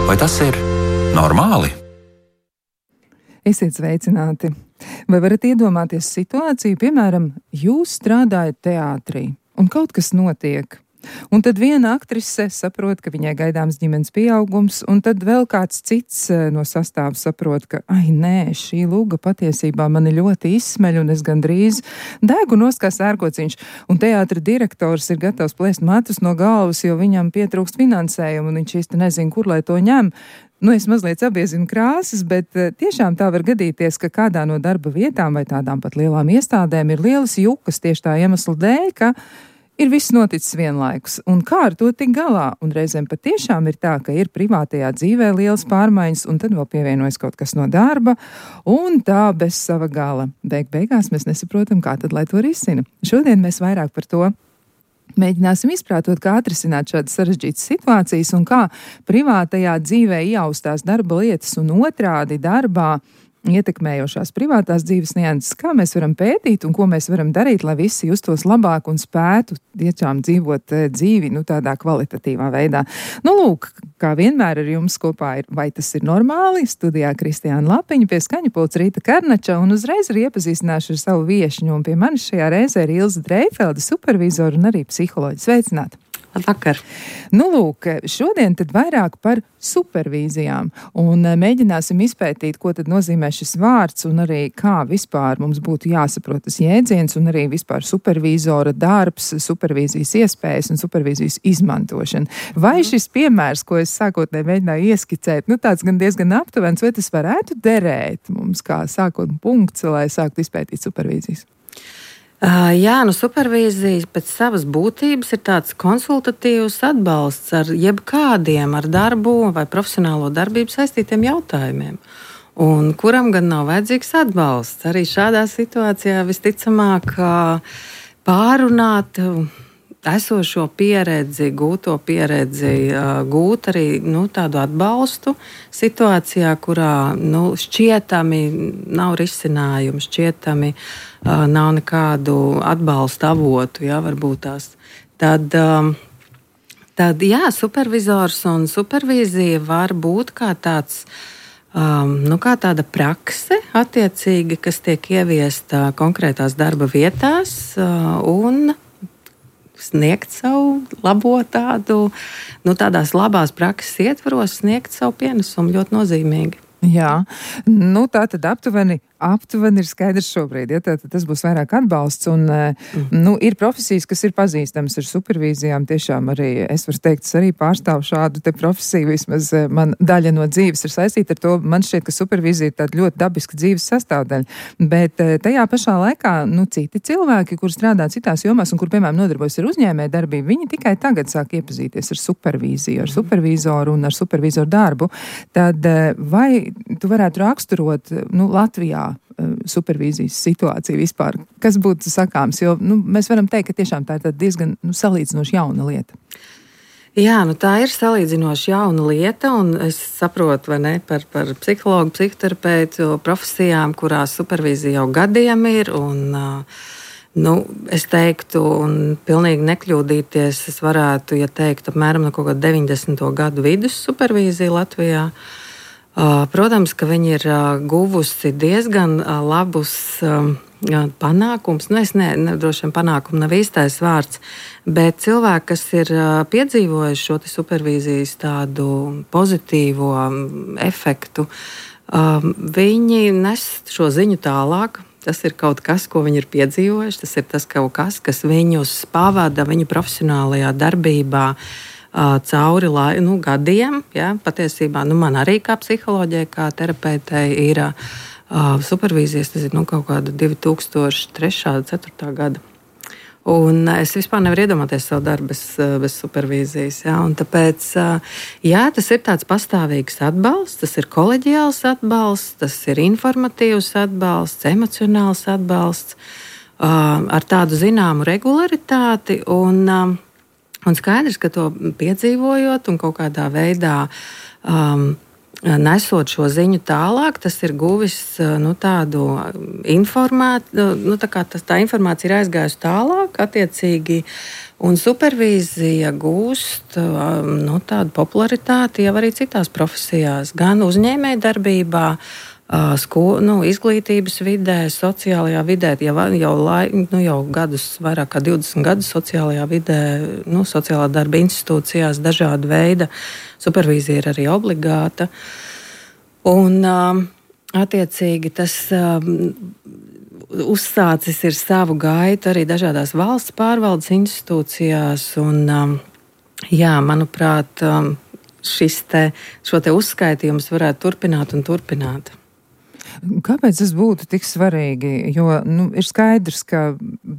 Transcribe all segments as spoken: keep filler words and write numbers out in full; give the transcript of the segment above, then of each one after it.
Vai tas ir normāli? Esiet sveicināti! Vai varat iedomāties situāciju, piemēram, jūs strādājat teātrī un kaut kas notiek? Un tad viena aktrise saprot, ka viņai gaidāms ģimenes pieaugums, un tad vēl kāds cits no sastāva saprot, ka, ai nē, šī luga patiesībā mani ļoti izsmeļ, un es gandrīz degu nost kā sērkociņš, un teātra direktors ir gatavs plēst matus no galvas, jo viņam pietrūkst finansējumu, un viņš īsti nezin, kur lai to ņem. Nu, es mazliet sabiezinu krāsas, bet tiešām tā var gadīties, ka kādā no darba vietām vai tādām pat lielām iestādēm ir lielas jukas tieši tā iemesla dēļ, ka ir viss noticis vienlaikus, un kā ar to tik galā, un reizēm patiešām ir tā, ka ir privātajā dzīvē lielas pārmaiņas, un tad vēl pievienojas kaut kas no darba, un tā bez sava gala. Beig beigās mēs nesaprotam, kā tad lai to risina. Šodien mēs vairāk par to mēģināsim izprātot, kā atrisināt šādas sarežģītas situācijas, un kā privātajā dzīvē ieaustās darba lietas un otrādi darbā ietekmējošās privātās dzīves nianses, kā mēs varam pētīt un ko mēs varam darīt, lai visi justos labāk un spētu tiešām dzīvot dzīvi, nu, tādā kvalitatīvā veidā. Nu, lūk, kā vienmēr ar jums kopā ir, vai tas ir normāli, studijā Kristiāna Lapiņa, pie skaņapults Rīta Karnača, un uzreiz arī iepazīstināšu ar savu viešņu, un pie manis šajā reizē ir Ilze Dreifelde, supervizora un arī psiholoģi. Sveicināti! Labvakar. Nu, lūk, šodien tad vairāk par supervīzijām un mēģināsim izpētīt, ko tad nozīmē šis vārds un arī kā vispār mums būtu jāsaprot tas jēdziens un arī vispār supervīzora darbs, supervīzijas iespējas un supervīzijas izmantošana. Vai šis piemērs, ko es sākotnēji mēģināju ieskicēt, nu tāds gan diezgan aptuvens, vai tas varētu derēt mums kā sākotnē punkts, lai sāktu izpētīt supervīzijas? Uh, jā, nu supervīzija pēc savas būtības ir tāds konsultatīvs atbalsts ar jebkādiem ar darbu vai profesionālo darbību saistītiem jautājumiem. Un kuram gan nav vajadzīgs atbalsts? Arī šādā situācijā visticamāk pārunāt esošo pieredzi, gūto pieredzi, gūt arī nu, tādu atbalstu situācijā, kurā nu, šķietami nav risinājumu, šķietami uh, nav nekādu atbalsta avotu, jā, varbūt tās. Tad, um, tad, jā, supervizors un supervīzija var būt kā tāds, um, nu, kā tāda prakse attiecīgi, kas tiek ieviesta konkrētās darba vietās uh, un sniegt savu labo tādu, nu tādās labās prakses ietvaros, sniegt savu pienesumu ļoti nozīmīgi. Jā, nu tā tad aptuveni, aptuveni ir skaidrs šobrīd, ja tā, tas būs vairāk atbalsts un, mm. nu, ir profesijas, kas ir pazīstamas ar supervīzijām, tiešām arī, es varu teikt, es arī pārstāvu šādu te profesiju, vismaz man daļa no dzīves ir saistīta ar to, man šķiet, ka supervīzija ir tāda ļoti dabiska dzīves sastāvdaļa, bet tajā pašā laikā, nu, citi cilvēki, kur strādā citās jomās un kur, piemēram, nodarbojas ar uzņēmēju darbību, viņi tikai tagad sāk iepazīties ar supervīziju, ar supervizoru un ar supervizoru darbu, tad vai tu varētu raksturot, nu, Latvijā supervīzijas situāciju vispār? Kas būtu sakāms? Jo, nu, mēs varam teikt, ka tiešām tā ir diezgan nu, salīdzinoši jauna lieta. Jā, nu tā ir salīdzinoši jauna lieta, un es saprotu, vai ne, par, par psihologu, psihoterapeitu profesijām, kurās supervīzija jau gadiem ir, un nu, es teiktu, un pilnīgi nekļūdīties, es varētu, ja teikt, apmēram no kaut kāda deviņdesmito gadu vidus supervīzija Latvijā. Protams, ka viņi ir guvusi diezgan labus panākums. Nu, es ne, ne, droši vien panākumu nav īstais vārds, bet cilvēki, kas ir piedzīvojuši šo supervīzijas tādu pozitīvo efektu, viņi nes šo ziņu tālāk. Tas ir kaut kas, ko viņi ir piedzīvojuši, tas ir tas kaut kas, kas viņus pavada viņu profesionālajā darbībā cauri lai, nu, gadiem. Ja, patiesībā nu, man arī kā psiholoģijai, kā terapeitei ir uh, supervīzijas, tas ir nu, kaut kāda divi tūkstoši trešā, ceturtā gada. Un es vispār nevaru iedomāties savu darbu bez, bez supervīzijas. Ja, un tāpēc, jā, tas ir tāds pastāvīgs atbalsts, tas ir koleģiāls atbalsts, tas ir informatīvs atbalsts, emocionāls atbalsts uh, ar tādu zināmu regularitāti. Un, uh, Un skaidrs, ka to piedzīvojot un kaut kādā veidā um, nesot šo ziņu tālāk, tas ir guvis nu, tādu informāciju, nu, tā kā tas, tā informācija ir aizgājusi tālāk, attiecīgi, un supervīzija gūst nu, tādu popularitāti jau arī citās profesijās, gan uzņēmējdarbībā, Sko, nu, izglītības vidē, sociālajā vidē, jau, jau, lai, nu, jau gadus, vairāk kā divdesmit gadus sociālajā vidē, nu, sociālā darba institūcijās dažāda veida supervīzija ir arī obligāta. Un, attiecīgi, tas uzsācis ir savu gaitu arī dažādās valsts pārvaldes institūcijās. Un, jā, manuprāt, šis te, šo te uzskaitījums varētu turpināt un turpināt. Kāpēc tas būtu tik svarīgi? Jo nu, ir skaidrs, ka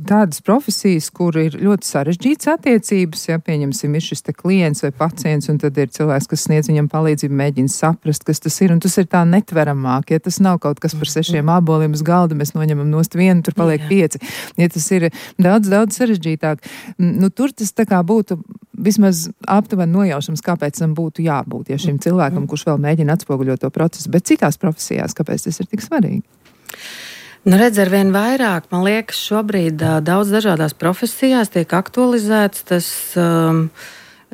tādas profesijas, kur ir ļoti sarežģītas attiecības, ja pieņemsim, ir šis te klients vai pacients, un tad ir cilvēks, kas sniedz viņam palīdzību, mēģina saprast, kas tas ir, un tas ir tā netveramāk. Ja tas nav kaut kas par sešiem āboliem uz galda, mēs noņemam nost vienu, tur paliek Jā. pieci. Ja tas ir daudz, daudz sarežģītāk, nu tur tas tā kā būtu vismaz aptuveni nojaušams, kāpēc tam būtu jābūt, ja šim cilvēkam, kurš vēl mēģina atspoguļot to procesu, bet citās profesijās, kāpēc tas ir tik svarīgi? Nu, redz, ar vien vairāk, man liekas, šobrīd daudz dažādās profesijās tiek aktualizēts tas, um,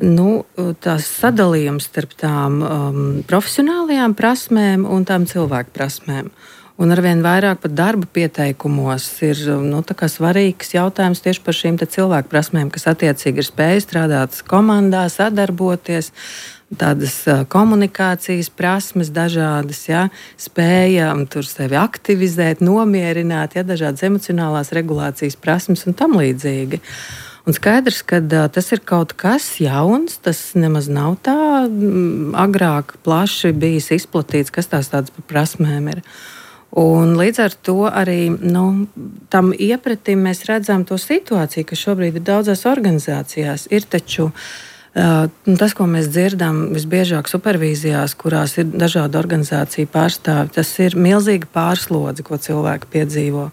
nu, tās sadalījums starp tām um, profesionālajām prasmēm un tām cilvēku prasmēm. Un arvien vairāk pat darba pieteikumos ir nu, svarīgs jautājums tieši par šīm cilvēku prasmēm, kas attiecīgi ir spēja strādāt komandā, sadarboties, tādas komunikācijas prasmes dažādas, ja, spēja tur sevi aktivizēt, nomierināt, ja, dažādas emocionālās regulācijas prasmes un tam līdzīgi. Un skaidrs, ka uh, tas ir kaut kas jauns, tas nemaz nav tā m, agrāk plaši bijis izplatīts, kas tās tādas par prasmēm ir. Un līdz ar to arī nu, tam iepratim mēs redzam to situāciju, ka šobrīd ir daudzās organizācijās. Ir taču uh, tas, ko mēs dzirdam visbiežāk supervīzijās, kurās ir dažādu organizāciju pārstāvi, tas ir milzīga pārslodze, ko cilvēki piedzīvo.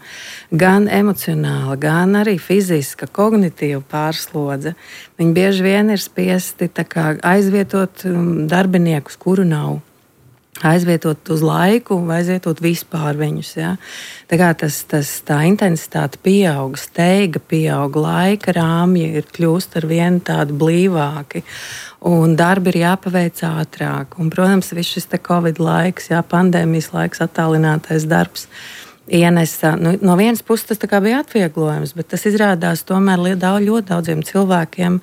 Gan emocionāli, gan arī fiziska, kognitīva pārslodze. Viņi bieži vien ir spiesti tā kā aizvietot darbiniekus, kuru nav. Aizvietot uz laiku, vai aizvietot vispār viņus. Ja? Tā kā tas, tas, tā intensitāte pieaug, steiga pieaug, laika rāmji ir kļūst ar vienu tādu blīvāki, un darbi ir jāpaveic ātrāk. Un, protams, viss šis te Covid laiks, jā, pandēmijas laiks, attālinātais darbs, ienesa, nu, no vienas puses tas tā kā bija atvieglojums, bet tas izrādās tomēr ļoti, ļoti daudziem cilvēkiem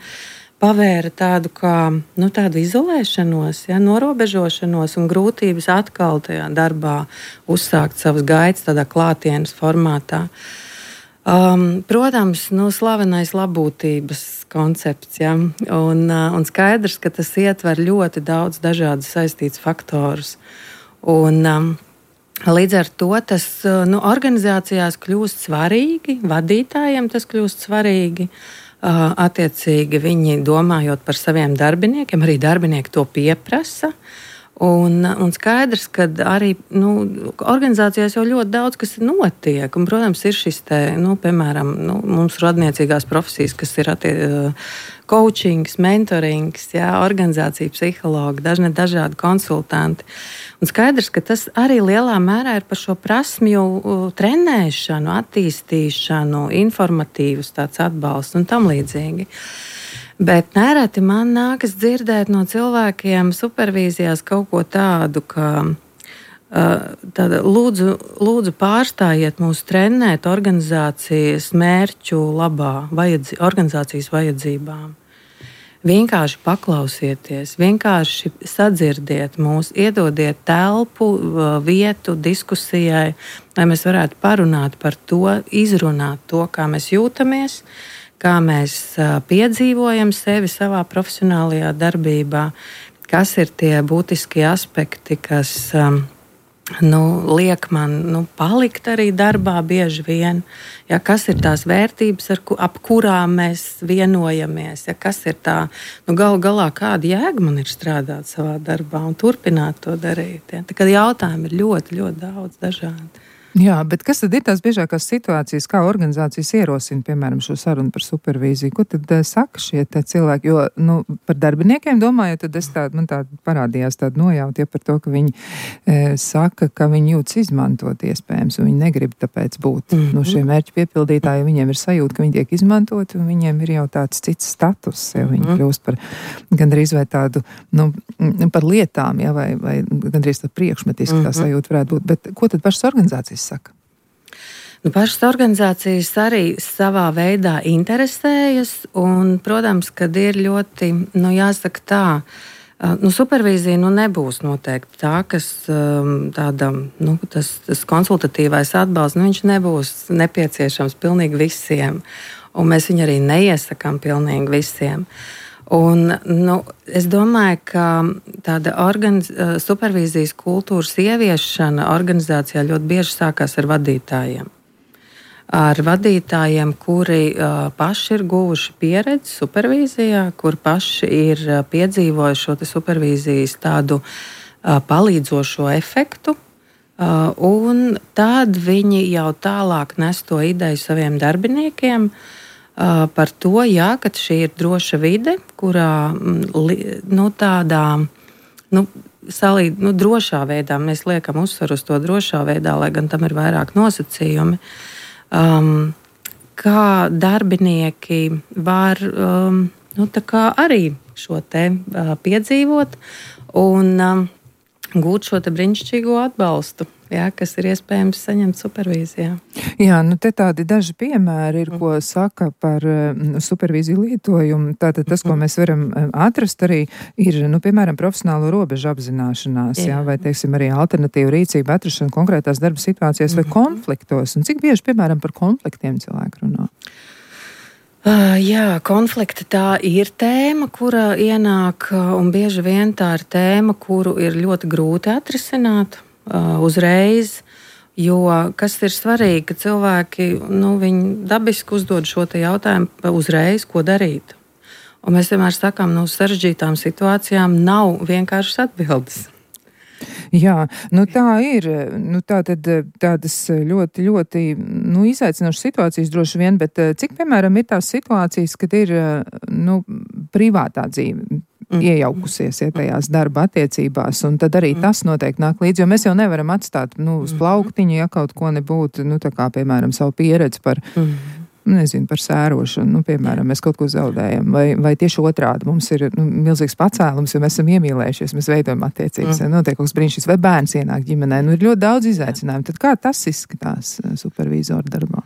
pavēra tādu, kā, nu, tādu izolēšanos, ja, norobežošanos un grūtības atkal tajā darbā uzsākt savas gaitas tādā klātienes formātā. Um, protams, nu, slavenais labbūtības koncepts, ja, un, uh, un skaidrs, ka tas ietver ļoti daudz dažādas saistītas faktorus. Un, um, līdz ar to tas uh, nu, organizācijās kļūst svarīgi, vadītājiem tas kļūst svarīgi. Uh, attiecīgi viņi domājot par saviem darbiniekiem, arī darbinieki to pieprasa. Un, un skaidrs, ka arī nu, organizācijās jau ļoti daudz kas notiek. Un, protams, ir šis te, nu, piemēram, nu, mums radniecīgās profesijas, kas ir attie, coachings, mentorings, jā, organizācija psihologi, dažne dažādi konsultanti. Un skaidrs, ka tas arī lielā mērā ir par šo prasmju trenēšanu, attīstīšanu, informatīvus tāds atbalsts un tam līdzīgi. Bet nereti man nākas dzirdēt no cilvēkiem supervīzijās kaut ko tādu, ka tāda, lūdzu, lūdzu pārstājiet mūs trenēt organizācijas mērķu labā, vajadzi, organizācijas vajadzībām. Vienkārši paklausieties, vienkārši sadzirdiet mūs, iedodiet telpu, vietu diskusijai, lai mēs varētu parunāt par to, izrunāt to, kā mēs jūtamies, kā mēs piedzīvojam sevi savā profesionālajā darbībā, kas ir tie būtiskie aspekti, kas nu, liek man nu, palikt arī darbā bieži vien. Ja, kas ir tās vērtības, ar, ap kurām mēs vienojamies? Ja, kas ir tā, nu, galu galā, kāda jēga man ir strādāt savā darbā un turpināt to darīt? Ja? Tā kā jautājumi ir ļoti, ļoti daudz dažādi. Jā, bet kas tad ir tās biežākās situācijas, kā organizācijas ierosina, piemēram, šo sarunu par supervīziju? Ko tad uh, saka šie cilvēki? Jo, nu, par darbiniekiem domājot, tad es tādu, man tādu parādījās tādu nojautu, ja par to, ka viņi e, saka, ka viņi jūtas izmantot iespējams, un viņi negrib tāpēc būt mm-hmm. nu, šie mērķi piepildītāji, viņiem ir sajūta, ka viņi tiek izmantot, un viņiem ir jau tāds cits status, ja viņi mm-hmm. kļūst par gandrīz vai tādu, nu, par lietām, ja, vai, vai gandrīz tā priekšmetiski mm-hmm. tā sajūta varētu būt. Bet ko tad pašas organizācijas saka? Nu, pašas organizācijas arī savā veidā interesējas, un, protams, kad ir ļoti, nu, jāsaka tā, nu, supervīzija nu, nebūs noteikti tā, kas tāda, nu, tas, tas konsultatīvais atbalsts, nu, viņš nebūs nepieciešams pilnīgi visiem, un mēs viņu arī neiesakām pilnīgi visiem. Un, nu, es domāju, ka tāda organiz... supervīzijas kultūras ieviešana organizācijā ļoti bieži sākās ar vadītājiem. Ar vadītājiem, kuri uh, paši ir guvuši pieredzi supervīzijā, kur paši ir uh, piedzīvojuši šo supervīzijas tādu uh, palīdzošo efektu. Uh, un tad viņi jau tālāk nes to ideju saviem darbiniekiem, par to, jā, ka šī ir droša vide, kurā nu, tādā nu, salīd, nu, drošā veidā, mēs liekam uzsvaru uz to drošā veidā, lai gan tam ir vairāk nosacījumi, um, kā darbinieki var um, nu, tā kā arī šo te uh, piedzīvot un um, gūt šo te brīnišķīgo atbalstu. Jā, kas ir iespējams saņemt supervīzijā. Jā, nu te tādi daži piemēri ir, ko saka par nu, supervīziju lietojumu. Tātad tas, ko mēs varam atrast arī, ir, nu, piemēram, profesionālo robežu apzināšanās, jā, jā vai, teiksim, arī alternatīvu rīcību atrašana konkrētās darba situācijās vai konfliktos. Un cik bieži, piemēram, par konfliktiem cilvēki runā? Uh, jā, konflikti tā ir tēma, kura ienāk, un bieži vien tā ir tēma, kuru ir ļoti grūti atrisināt uh, uzreiz, jo kas ir svarīgi, ka cilvēki, nu, viņi dabiski uzdod šo te jautājumu uzreiz, ko darīt. Un mēs vienmēr sakām, no nu, sarežģītām situācijām nav vienkāršas atbildes. Jā, nu tā ir, nu tā tad tādas ļoti, ļoti, nu, izaicinošas situācijas droši vien, bet cik, piemēram, ir tās situācijas, kad ir, nu, privātā dzīve mm. iejaukusies, ja tajās darba attiecībās, un tad arī mm. tas noteikti nāk līdzi, jo mēs jau nevaram atstāt, nu, uz plauktiņu, ja kaut ko nebūtu, nu, tā kā, piemēram, savu pieredzi par mm. nezinu, par sērošanu, nu, piemēram, mēs kaut ko zaudējam, vai, vai tieši otrādi mums ir nu, milzīgs pacēlums, jo mēs esam iemīlējušies, mēs veidojam attiecības, mm. notiek kaut kas brīnišķīgs, vai bērns ienāk ģimenē, nu, ir ļoti daudz izaicinājumu. Tad kā tas izskatās supervīzora darbā?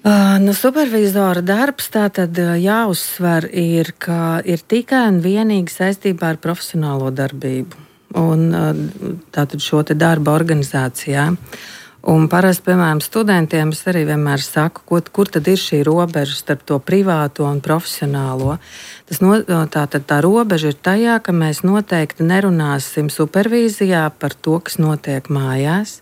Uh, nu, supervīzora darbs tātad jāuzsver ir, ka ir tikai un vienīgi saistībā ar profesionālo darbību un tātad šo te darba organizācijā. Un parasti, piemēram, studentiem es arī vienmēr saku, ko, kur tad ir šī robeža starp to privāto un profesionālo. Tas no, tā, tad tā robeža ir tajā, ka mēs noteikti nerunāsim supervīzijā par to, kas notiek mājās.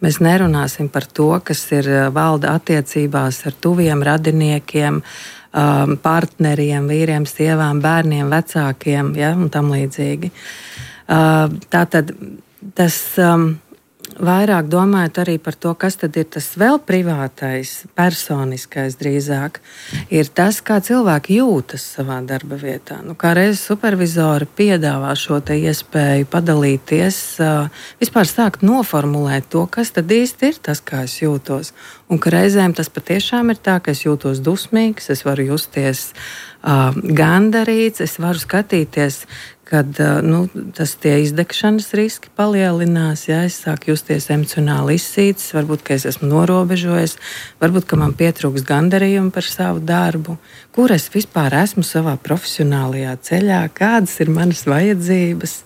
Mēs nerunāsim par to, kas ir valda attiecībās ar tuviem radiniekiem, partneriem, vīriem, sievām, bērniem, vecākiem, ja, un tam līdzīgi. Tātad tas... Vairāk domājot arī par to, kas tad ir tas vēl privātais, personiskais drīzāk, ir tas, kā cilvēki jūtas savā darba vietā. Nu, kā reiz supervizori piedāvā šo te iespēju padalīties, vispār sākt noformulēt to, kas tad īsti ir tas, kā es jūtos. Un ka reizēm tas patiešām ir tā, ka es jūtos dusmīgs, es varu justies uh, gandarīts, es varu skatīties, kad nu, tas tie izdegšanas riski palielinās, ja es sāku justies emocionāli izsīts, varbūt, ka es esmu norobežojies, varbūt, ka man pietrūks gandarījumu par savu darbu, kur es vispār esmu savā profesionālajā ceļā, kādas ir manas vajadzības,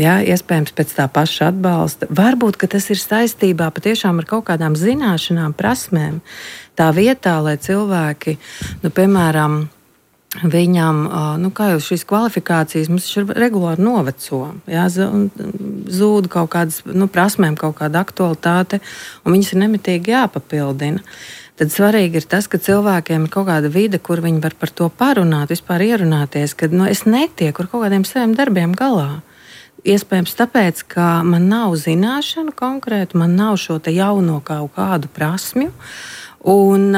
ja, iespējams pēc tā paša atbalsta. Varbūt, ka tas ir saistībā patiešām ar kaut kādām zināšanām, prasmēm, tā vietā, lai cilvēki, nu, piemēram, viņam, nu, kā jau šīs kvalifikācijas, mums ir regulāri noveco, jā, zūd kaut kādas, nu, prasmēm kaut kāda aktualitāte, un viņas ir nemitīgi jāpapildina. Tad svarīgi ir tas, ka cilvēkiem ir kaut kāda vide, kur viņi var par to parunāt, vispār ierunāties, ka, nu, es netieku ar kaut kādiem saviem darbiem galā. iespējams tāpēc, ka man nav zināšanu konkrēti, man nav šo te jauno kaut kādu prasmju. Un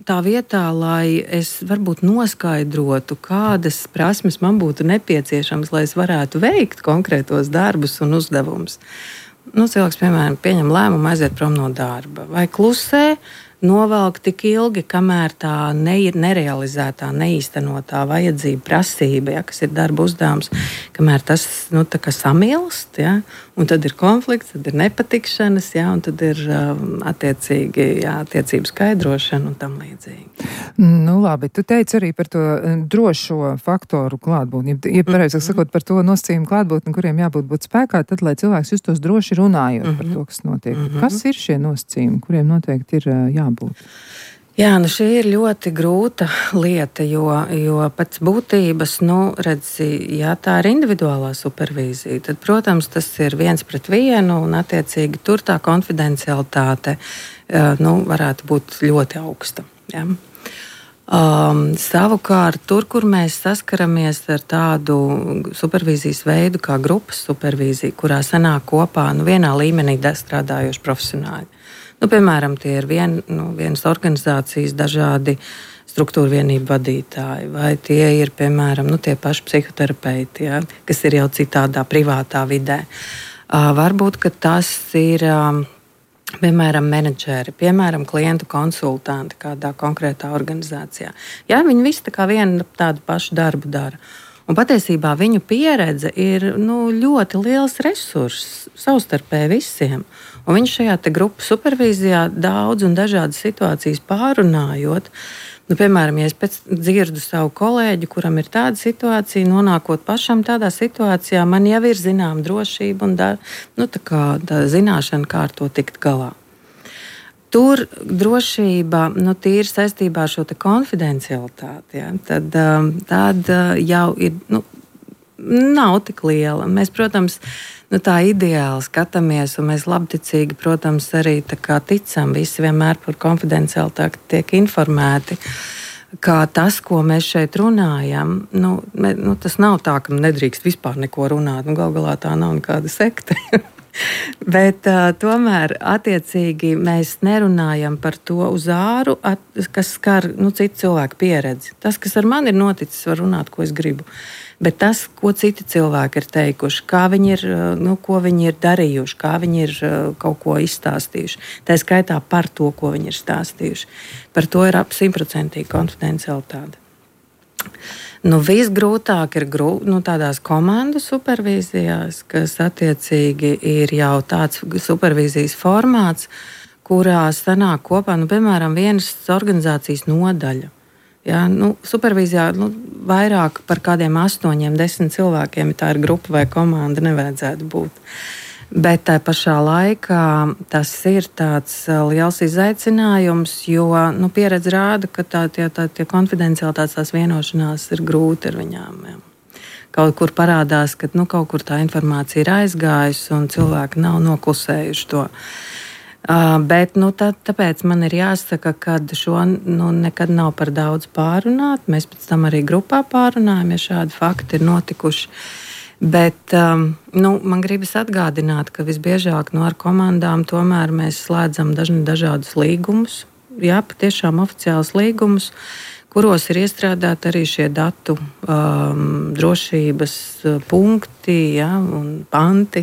tā vietā, lai es varbūt noskaidrotu, kādas prasmes man būtu nepieciešamas, lai es varētu veikt konkrētos darbus un uzdevumus. Nu, cilvēks, piemēram, pieņem lēmumu aiziet prom no darba vai klusē, novelk tik ilgi, kamēr tā ne, nerealizētā, neīstenotā vajadzība, prasība, ja, kas ir darba uzdevums, kamēr tas nu, tā kā samilst, ja, un tad ir konflikts, tad ir nepatikšanas, ja, un tad ir um, attiecīgi jā, attiecību skaidrošana un tam līdzīgi. Nu, labi, tu teici arī par to drošo faktoru klātbūtni, ja pareizāk mm-hmm. sakot par to nosacījumu klātbūtni, kuriem jābūt būt spēkā, tad, lai cilvēks justos droši runājot mm-hmm. par to, kas notiek. Mm-hmm. Kas ir šie nosacījumi, kuriem noteikti ir jābūt? Būt. Jā, nu šī ir ļoti grūta lieta, jo, jo pēc būtības, nu, redzi, ja tā ir individuālā supervīzija, tad, protams, tas ir viens pret vienu un, attiecīgi, tur tā konfidencialitāte, nu, varētu būt ļoti augsta. Ja? Um, savukārt, tur, kur mēs saskaramies ar tādu supervīzijas veidu kā grupas supervīzija, kurā sanāk kopā, nu, vienā līmenī strādājoši profesionāļi. Nu, piemēram, tie ir vien, nu, vienas organizācijas dažādi struktūra vienību vadītāji, vai tie ir, piemēram, nu, tie paši psihoterapeiti, ja, kas ir jau citādā privātā vidē. Uh, varbūt, ka tas ir, um, piemēram, menedžeri, piemēram, klientu konsultanti kādā konkrētā organizācijā. Jā, viņi visi tā kā vienu tādu pašu darbu dara. Un patiesībā viņu pieredze ir nu, ļoti liels resurss savstarpēji visiem. Un viņš šajā te grupu supervīzijā daudz un dažādas situācijas pārunājot. Nu, piemēram, ja es pēc dzirdu savu kolēģi, kuram ir tāda situācija, nonākot pašam tādā situācijā, man jau ir zinām drošība un da, nu, tā kā, tā zināšana, kā ar to tikt galā. Tur drošība nu, tīri saistībā ar šo konfidencialitāti, ja, tad, tad jau ir, nu, nav tik liela. Mēs, protams, nu, tā ideāli skatāmies, un mēs labticīgi, protams, arī ticam, visi vienmēr par konfidencialitāti tiek informēti. Kā tas, ko mēs šeit runājam, nu, me, nu, tas nav tā, ka nedrīkst vispār neko runāt. Nu, gal galā tā nav nekāda sekta. Bet uh, tomēr attiecīgi mēs nerunājam par to uz āru, at, kas skar nu, citu cilvēku pieredzi. Tas, kas ar mani ir noticis, var runāt, ko es gribu. Bet tas, ko citi cilvēki ir teikuši, kā viņi ir, nu, ko viņi ir darījuši, kā viņi ir kaut ko izstāstījuši, tā skaitā par to, ko viņi ir stāstījuši. Par to ir ap simtprocentīgi konfidencialitāte. Nu, visgrūtāk ir grū, nu, tādās komandu supervīzijās, kas attiecīgi ir jau tāds supervīzijas formāts, kurā sanāk kopā, nu, piemēram, vienas organizācijas nodaļa. Ja, nu, supervīzijā nu, vairāk par kādiem astoņiem, desmit cilvēkiem, ja tā ir grupa vai komanda, nevajadzētu būt. Bet tā pašā laikā tas ir tāds liels izaicinājums, jo nu, pieredze rāda, ka tā, tie, tā, tie konfidencialitātes tās vienošanās ir grūti ar viņām. Jā. Kaut kur parādās, ka nu, kaut kur tā informācija ir aizgājusi un cilvēki nav noklusējuši to. Uh, bet nu, tā, tāpēc man ir jāsaka, ka šo nu, nekad nav par daudz pārunāt. Mēs pēc tam arī grupā pārunājam, ja šādi fakti ir notikuši. Bet um, nu, man gribas atgādināt, ka visbiežāk nu, ar komandām tomēr mēs slēdzam daž, dažādus līgumus, jā, patiešām oficiālus līgumus, kuros ir iestrādāti arī šie datu um, drošības punkti, jā, un panti.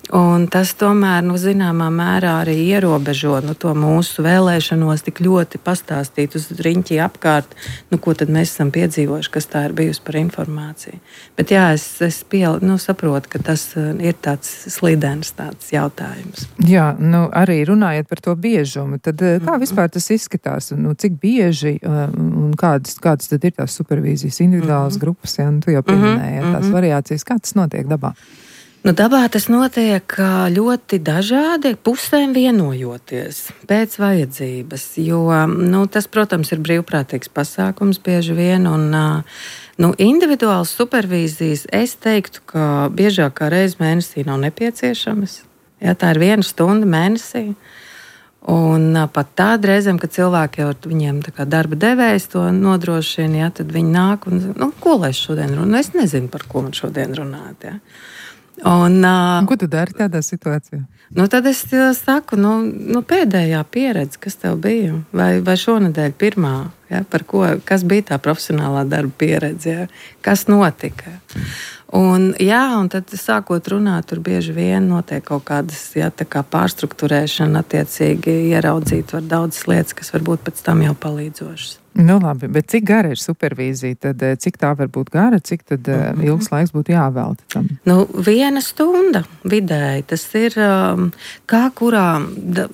Un tas tomēr, nu, zināmā mērā arī ierobežo nu, to mūsu vēlēšanos tik ļoti pastāstīt uz riņķi apkārt, nu, ko tad mēs esam piedzīvojuši, kas tā ir bijusi par informāciju. Bet jā, es, es piel, nu, saprotu, ka tas ir tāds slidens tāds jautājums. Jā, nu, arī runājot par to biežumu, tad kā vispār tas izskatās? Nu, cik bieži un kādas, kādas tad ir tās supervīzijas individuālas mm-hmm. grupas, ja, nu, tu jau pieminēji mm-hmm. tās variācijas, kā tas notiek dabā? Nu, dabā tas notiek ļoti dažādi, pusēm vienojoties pēc vajadzības, jo nu, tas, protams, ir brīvprātīgs pasākums bieži vien, un nu, individuāls supervīzijas es teiktu, ka biežāk kā reiz mēnesī nav nepieciešamas. Jā, tā ir viena stunda mēnesī, un pat tāda reizēm, kad cilvēki jau viņiem tā kā darba devējs to nodrošina, jā, tad viņi nāk un, nu, ko lai es šodien runāju? Es nezinu, par ko man šodien runāt, jā. Un, uh, Un ko tu dari tādā situācijā? Nu, tad es saku, nu, nu, pēdējā pieredze, kas tev bija, vai, vai šonadēļ pirmā, ja, par ko, kas bija tā profesionālā darba pieredze, ja, kas notika. Un, jā, un tad sākot runāt, tur bieži vien notiek kaut kādas, ja, tā kā pārstruktūrēšana, attiecīgi ieraudzīt var daudzas lietas, kas varbūt pēc tam jau palīdzošas. Nu labi, bet cik gara ir supervīzija, tad cik tā var būt gara, cik tad mm-hmm. ilgs laiks būtu jāvelta tam? Nu, viena stunda vidēji, tas ir um, kā kurā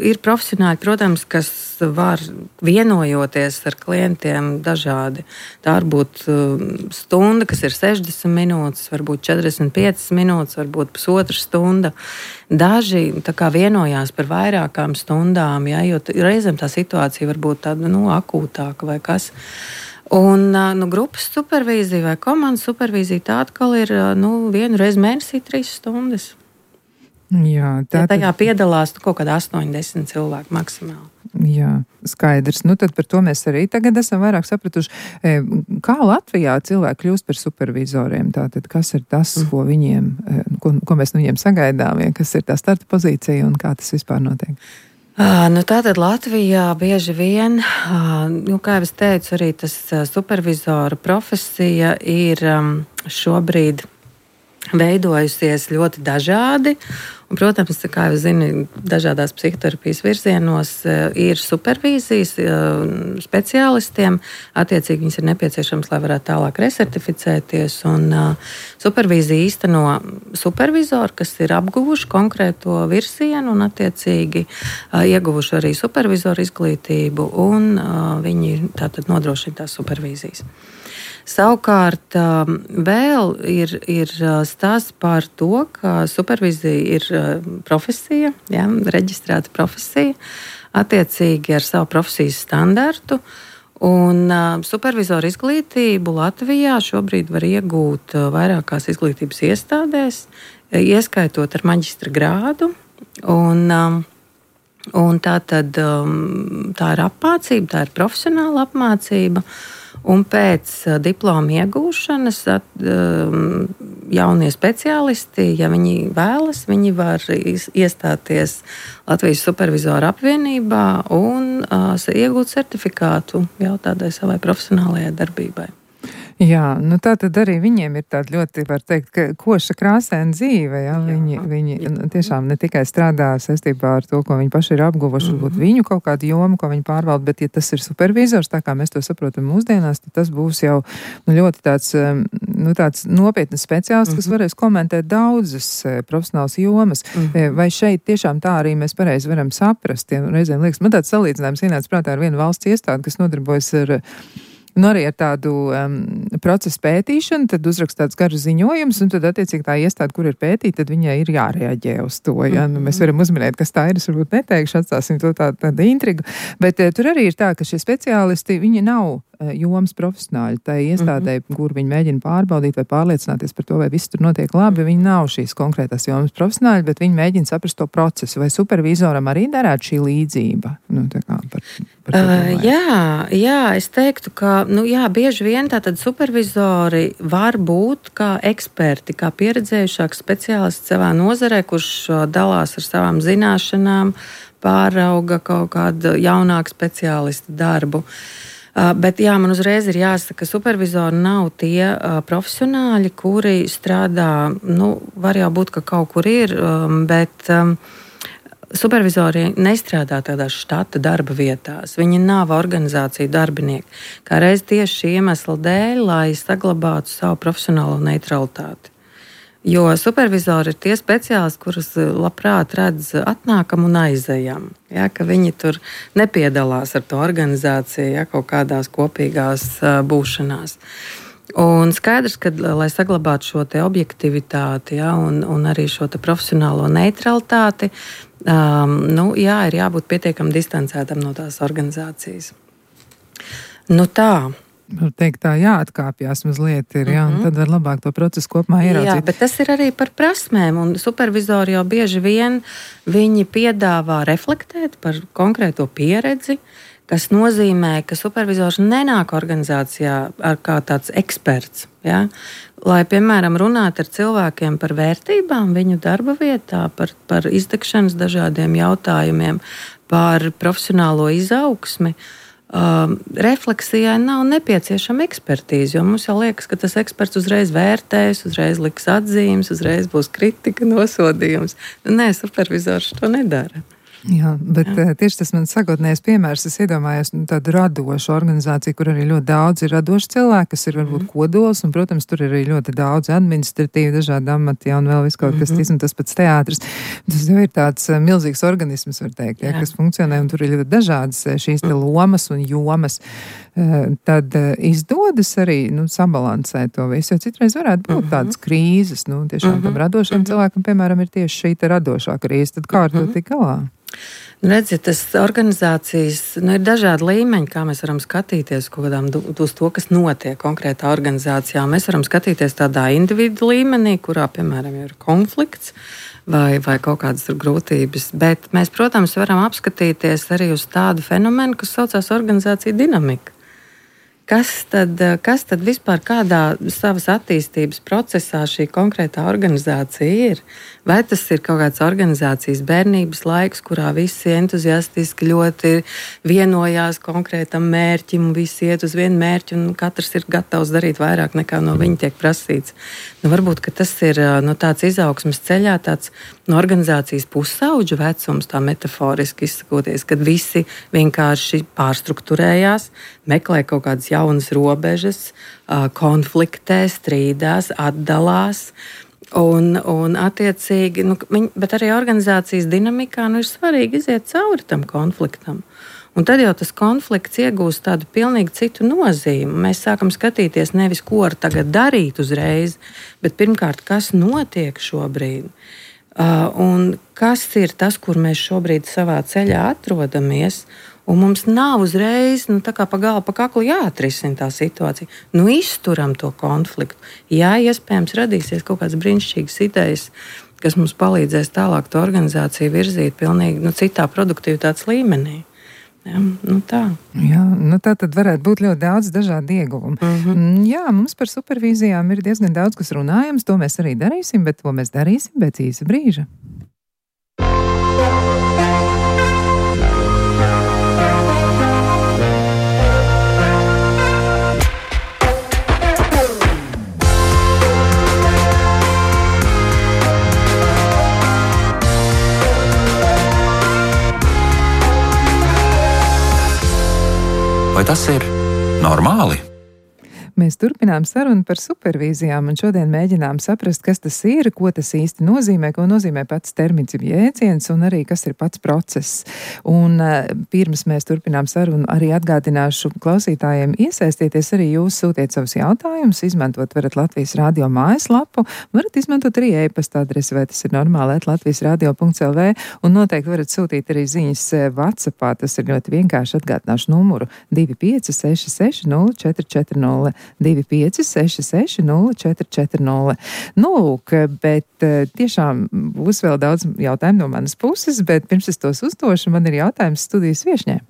ir profesionāļi, protams, kas var vienojoties ar klientiem dažādi. Tā var būt um, stunda, kas ir sešdesmit minūtes, varbūt četrdesmit piecas minūtes, varbūt pusotra stunda. Daži tā kā vienojās par vairākām stundām, ja, jo reizēm tā situācija var būt tāda, nu, akūtāka vai kas. Un nu, grupas supervīzija vai komandas supervīzija tā atkal ir nu, vienu reizi mēnesī trīs stundas. Jā, tā ja tajā piedalās nu, kaut kādā astoņi desmit cilvēku maksimāli. Jā, skaidrs. Nu, tad par to mēs arī tagad esam vairāk sapratuši. Kā Latvijā cilvēki kļūst par supervizoriem? Tātad, kas ir tas, mm. ko viņiem, ko, ko mēs no viņiem sagaidām, ja? Kas ir tā starta pozīcija un kā tas vispār notiek? Uh, nu, tātad Latvijā bieži vien, uh, nu, kā jau es teicu, arī tas uh, supervizora profesija ir um, šobrīd veidojusies ļoti dažādi. Un, protams, kā jau zini, dažādās psihoterapijas virzienos uh, ir supervīzijas uh, speciālistiem. Attiecīgi viņas ir nepieciešams, lai varētu tālāk resertificēties. Un, uh, supervīzija īsteno supervizoru, kas ir apguvuši konkrēto virzienu un attiecīgi uh, ieguvuši arī supervizoru izglītību, un uh, viņi tātad nodrošina tās supervīzijas. Savukārt vēl ir, ir stāsts par to, ka supervīzija ir profesija, ja, reģistrēta profesija, attiecīgi ar savu profesijas standartu. Un supervizoru izglītību Latvijā šobrīd var iegūt vairākās izglītības iestādēs, ieskaitot ar maģistra grādu. Un, un tā, tad, tā ir apmācība, tā ir profesionāla apmācība. Un pēc diploma iegūšanas at, jaunie speciālisti, ja viņi vēlas, viņi var iestāties Latvijas supervizoru apvienībā un uh, iegūt certifikātu jau tādai savai profesionālajai darbībai. Jā, nu tā tad arī viņiem ir tāda ļoti, var teikt, ka koša krāsaina dzīve, ja? Viņi, viņi tiešām ne tikai strādā saistībā ar to, ko viņi paši ir apguvuši, mm-hmm. varbūt viņu kaut kādu jomu, ko viņi pārvalda, bet ja tas ir supervizors, tā kā mēs to saprotam mūsdienās, tad tas būs jau nu, ļoti tāds, nu, tāds nopietnas speciālists, mm-hmm. kas varēs komentēt daudzas profesionālas jomas. Mm-hmm. Vai šeit tiešām tā arī mēs pareizi varam saprast? Ja reizēm liekas, man tāds salīdzinājums ienāca prātā ar vienu valsts iestādi, kas nodarbojas ar Nu, arī ar tādu um, procesu pētīšanu, tad uzrakst tāds garus ziņojums, un tad attiecīgi tā iestāde, kur ir pētīta, tad viņai ir jārēģē uz to. Ja? Nu, mēs varam uzminēt, kas tā ir, es varbūt neteikšu, atstāsim to tādu, tādu intrigu, bet uh, tur arī ir tā, ka šie speciālisti, viņi nav uh, jomas profesionāļi. Tā iestādē, mm-hmm. kur viņi mēģina pārbaudīt vai pārliecināties par to, vai viss tur notiek labi, viņi nav šīs konkrētās jomas profesionāļi, bet viņi mēģina saprast to procesu, vai supervizoram arī darētu šī līdzība. Nu, tā kā par, par uh, jā, jā, es teiktu, ka Nu, jā, bieži vien tātad supervizori var būt kā eksperti, kā pieredzējušāks speciālists savā nozarē, kurš dalās ar savām zināšanām, pārauga kaut kādu jaunāku speciālistu darbu. Uh, bet jā, man uzreiz ir jāsaka, ka supervizori nav tie uh, profesionāļi, kuri strādā, nu, var jau būt, ka kaut kur ir, um, bet... Um, Supervizori nestrādā tādās štata darba vietās. Viņi nav organizāciju darbinieki. Kā reiz tieši šī iemesla dēļ, lai saglabātu savu profesionālo neutralitāti. Jo supervizori ir tie speciālisti, kurus labprāt redz atnākam un aizejam. Ja, ka viņi tur nepiedalās ar to organizāciju, ja, kaut kādās kopīgās uh, būšanās. Un skaidrs, ka, lai saglabātu šo te objektivitāti, ja, un, un arī šo te profesionālo neutralitāti, um, nu, jā, ir jābūt pietiekami distancētam no tās organizācijas. Nu tā. Var teikt, tā jāatkāpjas mazliet ir, jā, mm-hmm. un tad var labāk to procesu kopumā ieraudzīt. Jā, bet tas ir arī par prasmēm, un supervizori jau bieži vien viņi piedāvā reflektēt par konkrēto pieredzi, kas nozīmē, ka supervizors nenāk organizācijā ar kā tāds eksperts. Ja? Lai, piemēram, runātu ar cilvēkiem par vērtībām viņu darba vietā, par, par izdegšanas dažādiem jautājumiem, par profesionālo izaugsmi. Uh, refleksijai nav nepieciešama ekspertīze, jo mums jau liekas, ka tas eksperts uzreiz vērtēs, uzreiz liks atzīmes, uzreiz būs kritika, nosodījums. Nē, supervizors to nedara. Jā, bet Jā. Tieši tas man sākotnējais piemērs, es iedomājos nu, tādu radošu organizāciju, kur arī ļoti daudz ir radoši cilvēki, kas ir varbūt mm. kodols, un, protams, tur ir arī ļoti daudz administratīvi, dažādi amati, ja, un vēl viss kaut kas mm-hmm. tis, un tas pats teātris. Tas jau ir tāds milzīgs organisms, var teikt, ja, kas funkcionē, un tur ir ļoti dažādas šīs te lomas un jomas. Tad izdodas arī nu, sabalansēt to visu, jo citreiz varētu būt mm-hmm. tādas krīzes, nu, tiešām mm-hmm. tam radošiem mm-hmm. cilvēkam, piemēram, ir tieši šī te radošā krīze, tad kā ar to tik galā? Redziet, tas organizācijas, nu, ir dažādi līmeņi, kā mēs varam skatīties kādām, uz to, kas notiek konkrētā organizācijā. Mēs varam skatīties tādā individu līmenī, kurā, piemēram, ir konflikts vai, vai kaut kādas grūtības, bet mēs, protams, varam apskatīties arī uz tādu fenomenu, kas saucās organizācija dinamika. Kas tad, kas tad vispār kādā savas attīstības procesā šī konkrētā organizācija ir? Vai tas ir kaut kāds organizācijas bērnības laiks, kurā visi entuziastiski ļoti vienojās konkrētam mērķim, visi iet uz vienu mērķi un katrs ir gatavs darīt vairāk nekā no viņa tiek prasīts? Nu, varbūt, ka tas ir no tāds izaugsmes ceļā, tāds no organizācijas pusauģu vecums, tā metaforiski izsakoties, kad visi vienkārši pārstrukturējās, meklē kaut kādas jaunas robežas, konfliktē, strīdās, atdalās. Un, un attiecīgi, nu, viņ, bet arī organizācijas dinamikā nu, ir svarīgi iziet cauri tam konfliktam. Un tad jau tas konflikts iegūst tādu pilnīgi citu nozīmi. Mēs sākam skatīties nevis, ko ar tagad darīt uzreiz, bet pirmkārt, kas notiek šobrīd. Uh, un kas ir tas, kur mēs šobrīd savā ceļā atrodamies. Un mums nav uzreiz nu, pa galu, pa kaklu jāatrisina tā situācija. Nu, izturam to konfliktu. Jā, iespējams, radīsies kaut kādas brīnišķīgas idejas, kas mums palīdzēs tālāk to organizāciju virzīt pilnīgi nu, citā produktivitātes līmenī. Jā, nu tā. Jā, nu tā tad varētu būt ļoti daudz dažādu ieguvumu. Mm-hmm. Jā, mums par supervīzijām ir diezgan daudz, kas runājams. To mēs arī darīsim, bet to mēs darīsim pēc īsa brīža. Vai tas ir normāli? Mēs turpinām sarunu par supervīzijām un šodien mēģinām saprast, kas tas ir, ko tas īsti nozīmē, ko nozīmē pats termins jēdziens un arī kas ir pats process. Un uh, pirms mēs turpinām sarunu, arī atgādināšu klausītājiem iesaistieties, arī jūs sūtiet savus jautājumus, izmantot varat Latvijas radio mājaslapu, varat izmantot arī e-pasta adresi, vai tas ir normāli, at latvijas radio punkts el vē, un noteikti varat sūtīt arī ziņas WhatsAppā, tas ir ļoti vienkārši, atgādināšu numuru divi pieci seši seši nulle četri četri nulle. divi pieci seši seši nulle četri četri nulle. Nu, lūk, bet tiešām būs vēl daudz jautājumu no manas puses, bet pirms es tos uzdošu, man ir jautājums studijas viešņai.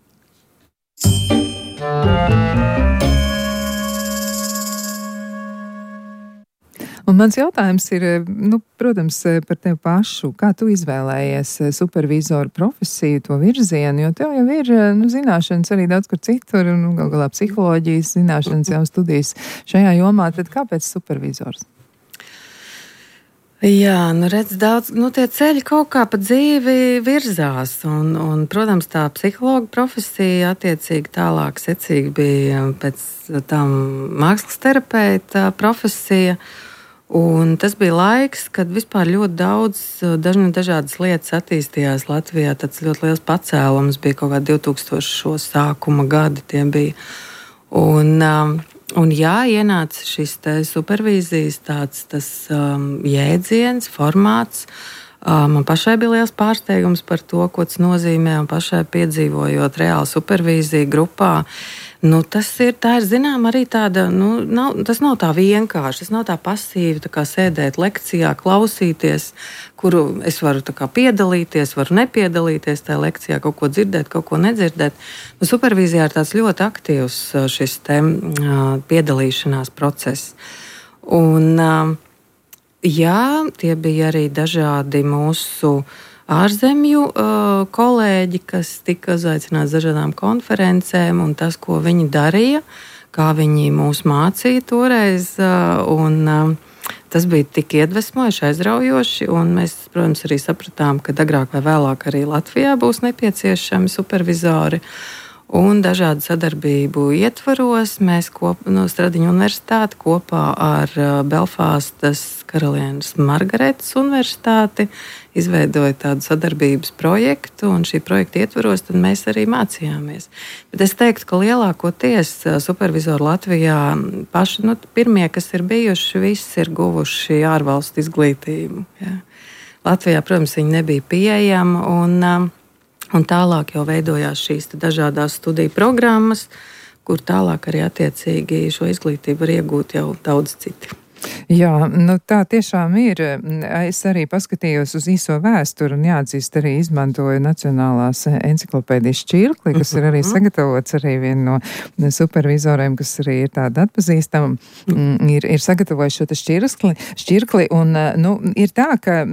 Un mans jautājums ir, nu, protams, par tevi pašu. Kā tu izvēlējies supervizoru profesiju, to virzienu, jo tev jau ir, nu, zināšanas arī daudz kur citur, un gal galā psiholoģijas zināšanas jau studijas šajā jomā, tad kāpēc supervizors? Jā, nu redz daudz, nu tie ceļi kaut kā pa dzīvi virzās, un, un protams, tā psihologa profesija attiecīgi tālāk secīgi bija pēc tam mākslas terapeita profesija. Un tas bija laiks, kad vispār ļoti daudz dažni, dažādas lietas attīstījās Latvijā. Tāds ļoti liels pacēlums bija kaut kā divtūkstošo sākuma gadi tie bija. Un, un jā, ienāca šis te supervīzijas tāds tas um, jēdziens, formāts. Man pašai bija liels pārsteigums par to, ko tas nozīmē, un pašai piedzīvojot reāli supervīziju grupā. Nu, tas ir, tā ir zinām, arī tāda, nu, nav, tas nav tā vienkārši, tas nav tā pasīvi, tā kā sēdēt lekcijā, klausīties, kuru es varu tā kā piedalīties, varu nepiedalīties tajā lekcijā, kaut ko dzirdēt, kaut ko nedzirdēt. Nu, supervīzijā ir tāds ļoti aktīvs šis te piedalīšanās process. Un, jā, tie bija arī dažādi mūsu ārzemju uh, kolēģi, kas tika uzaicināti dažādām konferencēm, un tas, ko viņi darīja, kā viņi mūs mācīja toreiz, uh, un uh, tas bija tik iedvesmojoši, aizraujoši, un mēs, protams, arī sapratām, ka agrāk vai vēlāk arī Latvijā būs nepieciešami supervizori. Un dažādu sadarbību ietvaros mēs kop, no Stradiņu universitāti kopā ar Belfastas karalienes Margaretas universitāti izveidoja tādu sadarbības projektu, un šī projekta ietvaros tad mēs arī mācījāmies. Bet es teiktu, ka lielākoties supervizori Latvijā paši, nu, pirmie, kas ir bijuši, visi ir guvuši ārvalstu izglītību. Ja. Latvijā, protams, viņi nebija pieejama, un Un tālāk jau veidojās šīs dažādas studiju programmas, kur tālāk arī attiecīgi šo izglītību var iegūt jau daudz citi. Jā, nu tā tiešām ir. Es arī paskatījos uz īso vēsturi un jāatzīst arī izmantoju Nacionālās enciklopēdijas šķirkli, kas ir arī sagatavots arī viena no supervizoriem, kas arī ir tāda atpazīstama, ir, ir sagatavojis šo šķirkli, šķirkli un, nu, ir tā, ka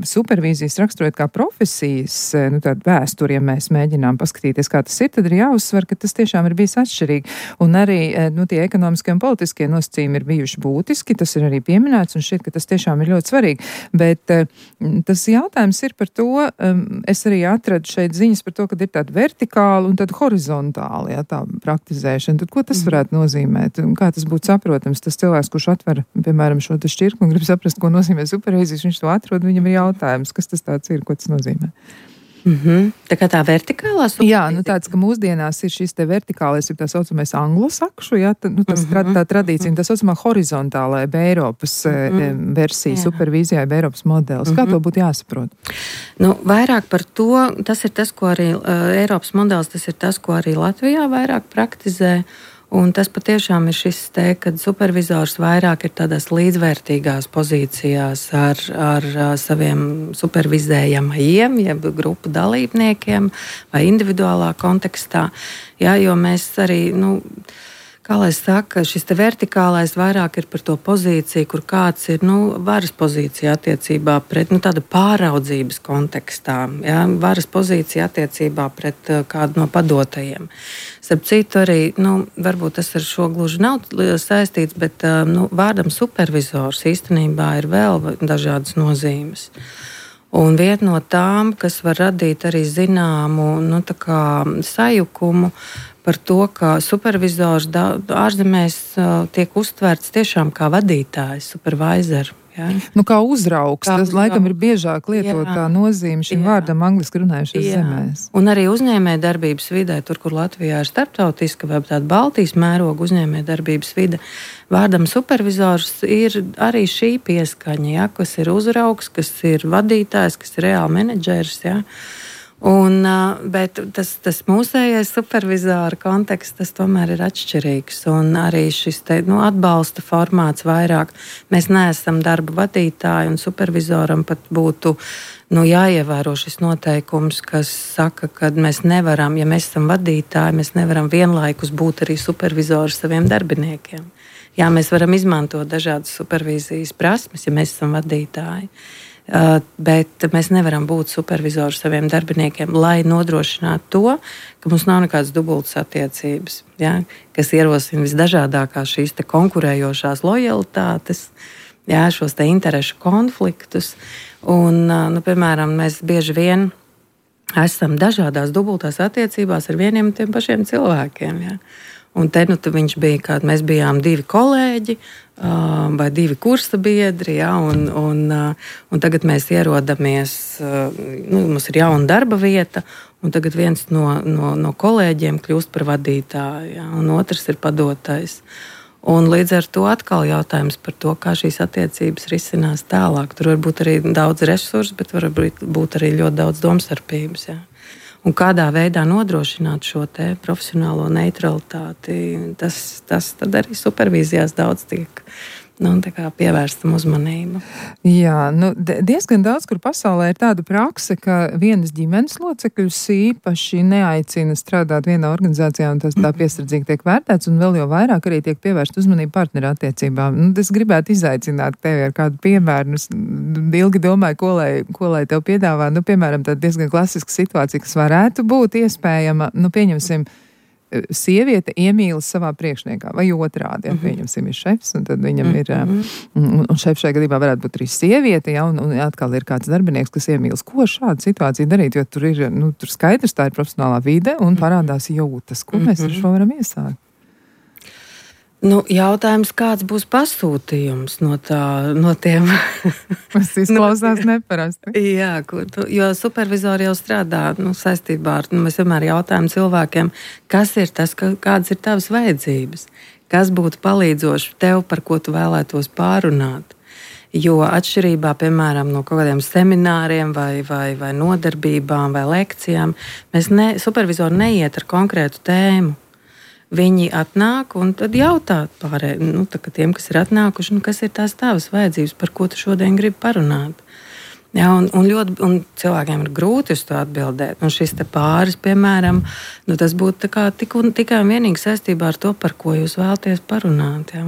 supervīzijas raksturot kā profesijas, nu tāda vēsturi, ja mēs mēģinām paskatīties, kā tas ir, tad ir jāuzsver, ka tas tiešām ir bijis atšķirīgi. Un arī, nu, tie ekonomiskie un politiskie nosacījumi ir bijuši būtiski. Tas ir arī pieminēts, un šķiet, ka tas tiešām ir ļoti svarīgi. Bet tas jautājums ir par to, es arī atradu šeit ziņas par to, ka ir tāda vertikāla un tāda horizontāla, jā, tā praktizēšana. Tad ko tas varētu nozīmēt? Kā tas būtu saprotams? Tas cilvēks, kurš atver, piemēram, šo šķirkli un grib saprast, ko nozīmē supervīzijas, viņš to atrod, viņam ir jautājums, kas tas tāds ir, ko tas nozīmē. Mm-hmm. Tā kā tā vertikālā supervīzija? Jā, nu tāds, ka mūsdienās ir šis te vertikālais, ir tā saucamais anglosakšu, jā, tā, nu, tas mm-hmm. tā tradīcija, tā saucamā horizontālā Eiropas mm-hmm. versija jā. Supervīzijā, Eiropas modelis. Mm-hmm. Kā to būtu jāsaprot? Nu, vairāk par to, tas ir tas, ko arī uh, Eiropas modelis, tas ir tas, ko arī Latvijā vairāk praktizē. Un tas patiešām ir šis te, kad supervizors vairāk ir tādās līdzvērtīgās pozīcijās ar, ar saviem supervizējamajiem, jeb grupu dalībniekiem vai individuālā kontekstā. Jā, jo mēs arī, nu, kā lai saka, šis te vertikālais vairāk ir par to pozīciju, kur kāds ir, nu, varas pozīcija attiecībā pret, nu, tāda pāraudzības kontekstā, jā, varas pozīcija attiecībā pret kādu no padotajiem. Starp citu arī, nu, varbūt tas ar šo gluži nav saistīts, bet, nu, vārdam supervizors īstenībā ir vēl dažādas nozīmes. Un viena no tām, kas var radīt arī zināmu, nu, tā kā sajukumu par to, ka supervizors ārzemēs tiek uztverts tiešām kā vadītājs, supervisor. Ja? Nu, kā uzraugs, kā tas uzraugs. Laikam ir biežāk lietotā nozīme šim jā. Vārdam angliski runājušās zemēs. Un arī uzņēmē darbības vidē, tur, kur Latvijā ir starptautiska vai tāda Baltijas mēroga uzņēmē darbības vide, vārdam supervizors ir arī šī pieskaņa, ja? Kas ir uzraugs, kas ir vadītājs, kas ir reāli menedžers, ja? Un, bet tas, tas mūsējais supervizora konteksts, tas tomēr ir atšķirīgs. Un arī šis te, nu, atbalsta formāts vairāk. Mēs neesam darba vadītāji, un supervizoram pat būtu nu, jāievēro šis noteikums, kas saka, ka mēs nevaram, ja mēs esam vadītāji, mēs nevaram vienlaikus būt arī supervizori saviem darbiniekiem. Jā, mēs varam izmantot dažādas supervīzijas prasmes, ja mēs esam vadītāji. Uh, bet mēs nevaram būt supervizori saviem darbiniekiem, lai nodrošinātu to, ka mums nav nekādas dubultas attiecības, ja, kas ierosina visdažādākās šīs te konkurējošās lojalitātes, ja, šos te interešu konfliktus. Un, uh, nu, piemēram, mēs bieži vien esam dažādās dubultās attiecībās ar vieniem un tiem pašiem cilvēkiem. Ja. Un te nu, viņš bija, kā mēs bijām divi kolēģi uh, vai divi kursa biedri, ja, un, un, uh, un tagad mēs ierodamies, uh, nu, mums ir jauna darba vieta, un tagad viens no, no, no kolēģiem kļūst par vadītāju, ja, un otrs ir padotais. Un līdz ar to atkal jautājums par to, kā šīs attiecības risinās tālāk. Tur var būt arī daudz resursu, bet var būt arī ļoti daudz domstarpības. Jā. Un kādā veidā nodrošināt šo te profesionālo neutralitāti, tas, tas tad arī supervīzijās daudz tiek nu, pievērstam uzmanību. Jā, nu, diezgan daudz, kur pasaulē ir tāda prakse, ka vienas ģimenes locekļus īpaši neaicina strādāt vienā organizācijā, un tas tā piesardzīgi tiek vērtēts, un vēl jau vairāk arī tiek pievērst uzmanību partneru attiecībām. Nu, es gribētu izaicināt tevi ar kādu piemēru. Es ilgi domāju, ko lai, ko lai tev piedāvā. Nu, piemēram, tāda diezgan klasiska situācija, kas varētu būt iespējama. Nu, pieņemsim, sieviete iemīlas savā priekšniekā, vai otrādi, ja pieņemsim, ir šefs, un tad viņam ir, un, un šefs šajā gadījumā varētu būt arī sieviete, ja, un, un atkal ir kāds darbinieks, kas iemīlas. Ko šāda situācija darīt, jo tur ir, nu, tur skaidrs, tā ir profesionālā vide, un parādās jūtas. Ko mēs ar šo varam iesākt? Nu, jautājums, kāds būs pasūtījums no, tā, no tiem? Tas izklausās neparasti. Jā, kur, jo supervizori jau strādā nu, saistībā ar, nu, mēs vienmēr jautājam cilvēkiem, kas ir tas, kādas ir tavas vajadzības, kas būtu palīdzoši tev, par ko tu vēlētos pārunāt. Jo atšķirībā, piemēram, no kaut kādiem semināriem vai, vai, vai nodarbībām vai lekcijām, mēs ne, supervizori neiet ar konkrētu tēmu. Viņi atnāk un tad jautā pārējiem, nu, tiem, kas ir atnākuši, nu, kas ir tās tavas vajadzības, par ko tu šodien gribi parunāt. Ja, un, un, ļoti, un cilvēkiem ir grūti uz to atbildēt. Un šis te pāris, piemēram, nu, tas būtu kā, tik un, tikai un vienīgi saistībā ar to, par ko jūs vēlaties parunāt. Ja.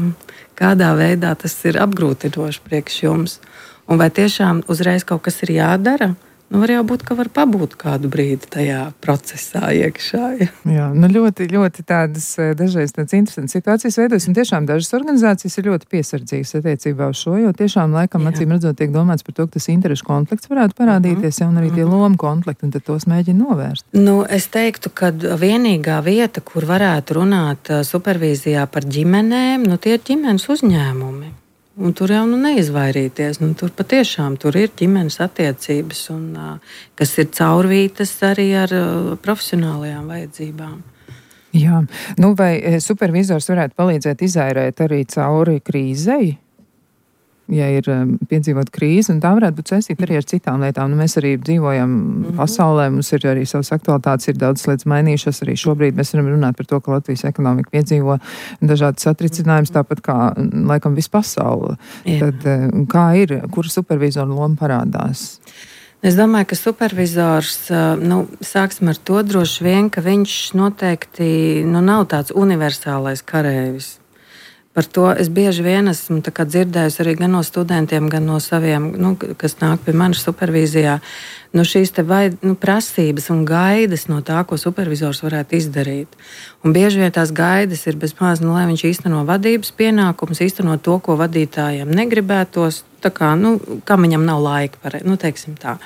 Kādā veidā tas ir apgrūtinoši priekš jums. Un vai tiešām uzreiz kaut kas ir jādara? Nu, var jau būt, ka var pabūt kādu brīdi tajā procesā iekšā. Ja. Jā, nu ļoti, ļoti tādas dažreiz tādas interesantas situācijas veidojas, un tiešām dažas organizācijas ir ļoti piesardzīgas attiecībā uz šo, jo tiešām laikam Jā. Acīm redzot tiek domāts par to, ka tas interešu konflikts varētu parādīties, uh-huh. un arī tie lomu konflikti, un tad tos mēģina novērst. Nu, es teiktu, ka vienīgā vieta, kur varētu runāt supervīzijā par ģimenēm, nu tie ir ģimenes uzņēmumi. Un tur jau nu, neizvairīties. Nu, tur patiešām tur ir ģimenes attiecības, un, uh, kas ir caurvītas arī ar uh, profesionālajām vajadzībām. Jā, nu vai supervizors varētu palīdzēt izairēt arī cauri krīzei? Ja ir um, piedzīvot krīzi, un tā varētu būt saistīta arī ar citām lietām. Nu, mēs arī dzīvojam mm-hmm. pasaulē, mums ir arī savas aktualitātes, ir daudz lietas mainījušas. Arī šobrīd mēs varam runāt par to, ka Latvijas ekonomika piedzīvo dažādas satricinājumus, tāpat kā, laikam, visu pasauli. Jā. Tad kā ir, kur supervizora loma parādās? Es domāju, ka supervizors, nu, sāksim ar to droši vien, ka viņš noteikti nu, nav tāds universālais kareivis. Par to es bieži vien esmu dzirdējusi arī gan no studentiem, gan no saviem, nu, kas nāk pie manis supervīzijā. Nu, šīs te vai, nu, prasības un gaidas no tā, ko supervizors varētu izdarīt. Un bieži vien tās gaidas ir bez maz, nu, lai viņš īsteno vadības pienākumus, īsteno to, ko vadītājiem negribētos, tā kā, nu, kam viņam nav laika, par, nu, teiksim tā.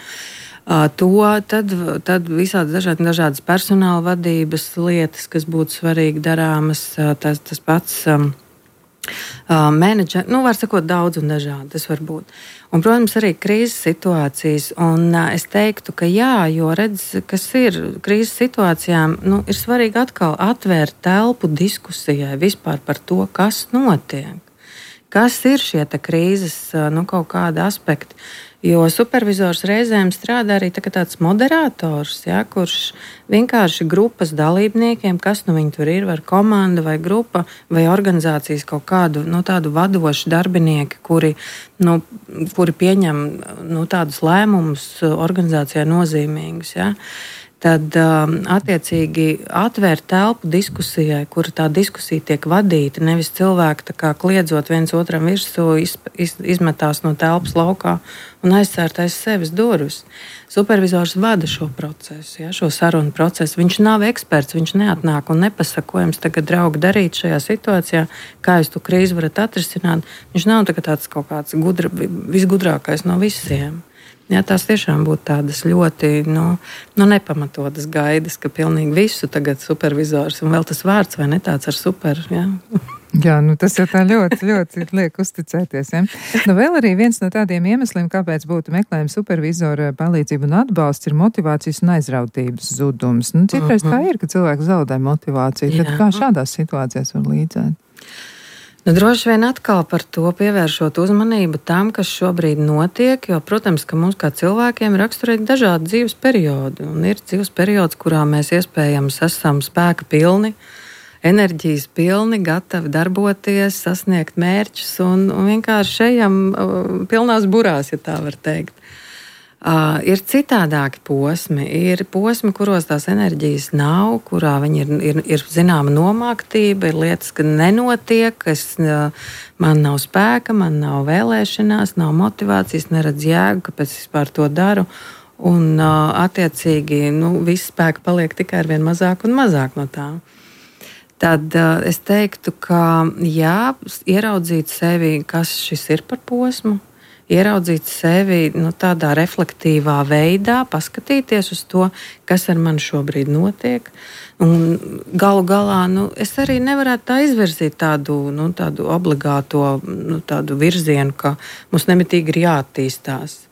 Uh, to, tad, tad visādi dažādi, dažādas personāla vadības lietas, kas būtu svarīgi darāmas, uh, tas, tas pats... Um, Uh, menedžeri, nu, var sakot, daudz un dažādi tas var būt. Un, protams, arī krīzes situācijas. Un uh, es teiktu, ka jā, jo redz, kas ir krīzes situācijām, nu, ir svarīgi atkal atvērt telpu diskusijai vispār par to, kas notiek. Kas ir šie te krīzes, uh, nu, kaut kādi aspekti. Jo supervizors reizēm strādā arī tā tāds moderators, ja, kurš vienkārši grupas dalībniekiem, kas nu viņi tur ir, vai komanda, vai grupa, vai organizācijas kaut kādu nu, tādu vadošu darbinieki, kuri, nu, kuri pieņem nu, tādus lēmumus organizācijā nozīmīgus. Ja. Tad um, attiecīgi atvērt telpu diskusijai, kur tā diskusija tiek vadīta, nevis cilvēki tā kā kliedzot viens otram virsū, iz, iz, izmetās no telpas laukā un aizcērt aiz sevis durvis. Supervizors vada šo procesu, ja, šo sarunu procesu. Viņš nav eksperts, viņš neatnāk un nepasaka, ko jums tagad, draugi, darīt šajā situācijā, kā jūs to krīzi varat atrisināt. Viņš nav tāds kaut kāds gudra, visgudrākais no visiem. Jā, tās tiešām būtu tādas ļoti nu, nu, nepamatotas gaidas, ka pilnīgi visu tagad supervizors, un vēl tas vārds vai ne tāds ar super. Jā, jā nu tas jau tā ļoti, ļoti liek uzticēties. Ja? Nu, vēl arī viens no tādiem iemesliem, kāpēc būtu meklējuma supervizora palīdzība un atbalsts, ir motivācijas un aizrautības zudums. Nu, citreiz uh-huh. tā ir, ka cilvēks zaudē motivāciju. Tad jā. Kā šādās situācijās var līdzēt? Nu, droši vien atkal par to pievēršot uzmanību tam, kas šobrīd notiek, jo, protams, ka mums kā cilvēkiem ir raksturīgi dažādi dzīves periodi. Un ir dzīves periods, kurā mēs iespējams esam spēka pilni, enerģijas pilni, gatavi darboties, sasniegt mērķus un, un vienkārši ejam pilnās burās, ja tā var teikt. Uh, ir citādāki posmi, ir posmi, kuros tās enerģijas nav, kurā viņi ir, ir, ir zināma nomāktība, ir lietas, ka nenotiek, es, uh, man nav spēka, man nav vēlēšanās, nav motivācijas, neredz jēgu, kāpēc es vispār to daru. Un uh, attiecīgi nu, viss spēka paliek tikai ar vien mazāk un mazāk no tā. Tad uh, es teiktu, ka jā, ieraudzīt sevi, kas šis ir par posmu, ieraudzīt sevi nu, tādā reflektīvā veidā, paskatīties uz to, kas ar mani šobrīd notiek. Un galu galā nu, es arī nevarētu tā izvirzīt tādu, nu, tādu obligāto nu, tādu virzienu, ka mums nemitīgi ir jāattīstās.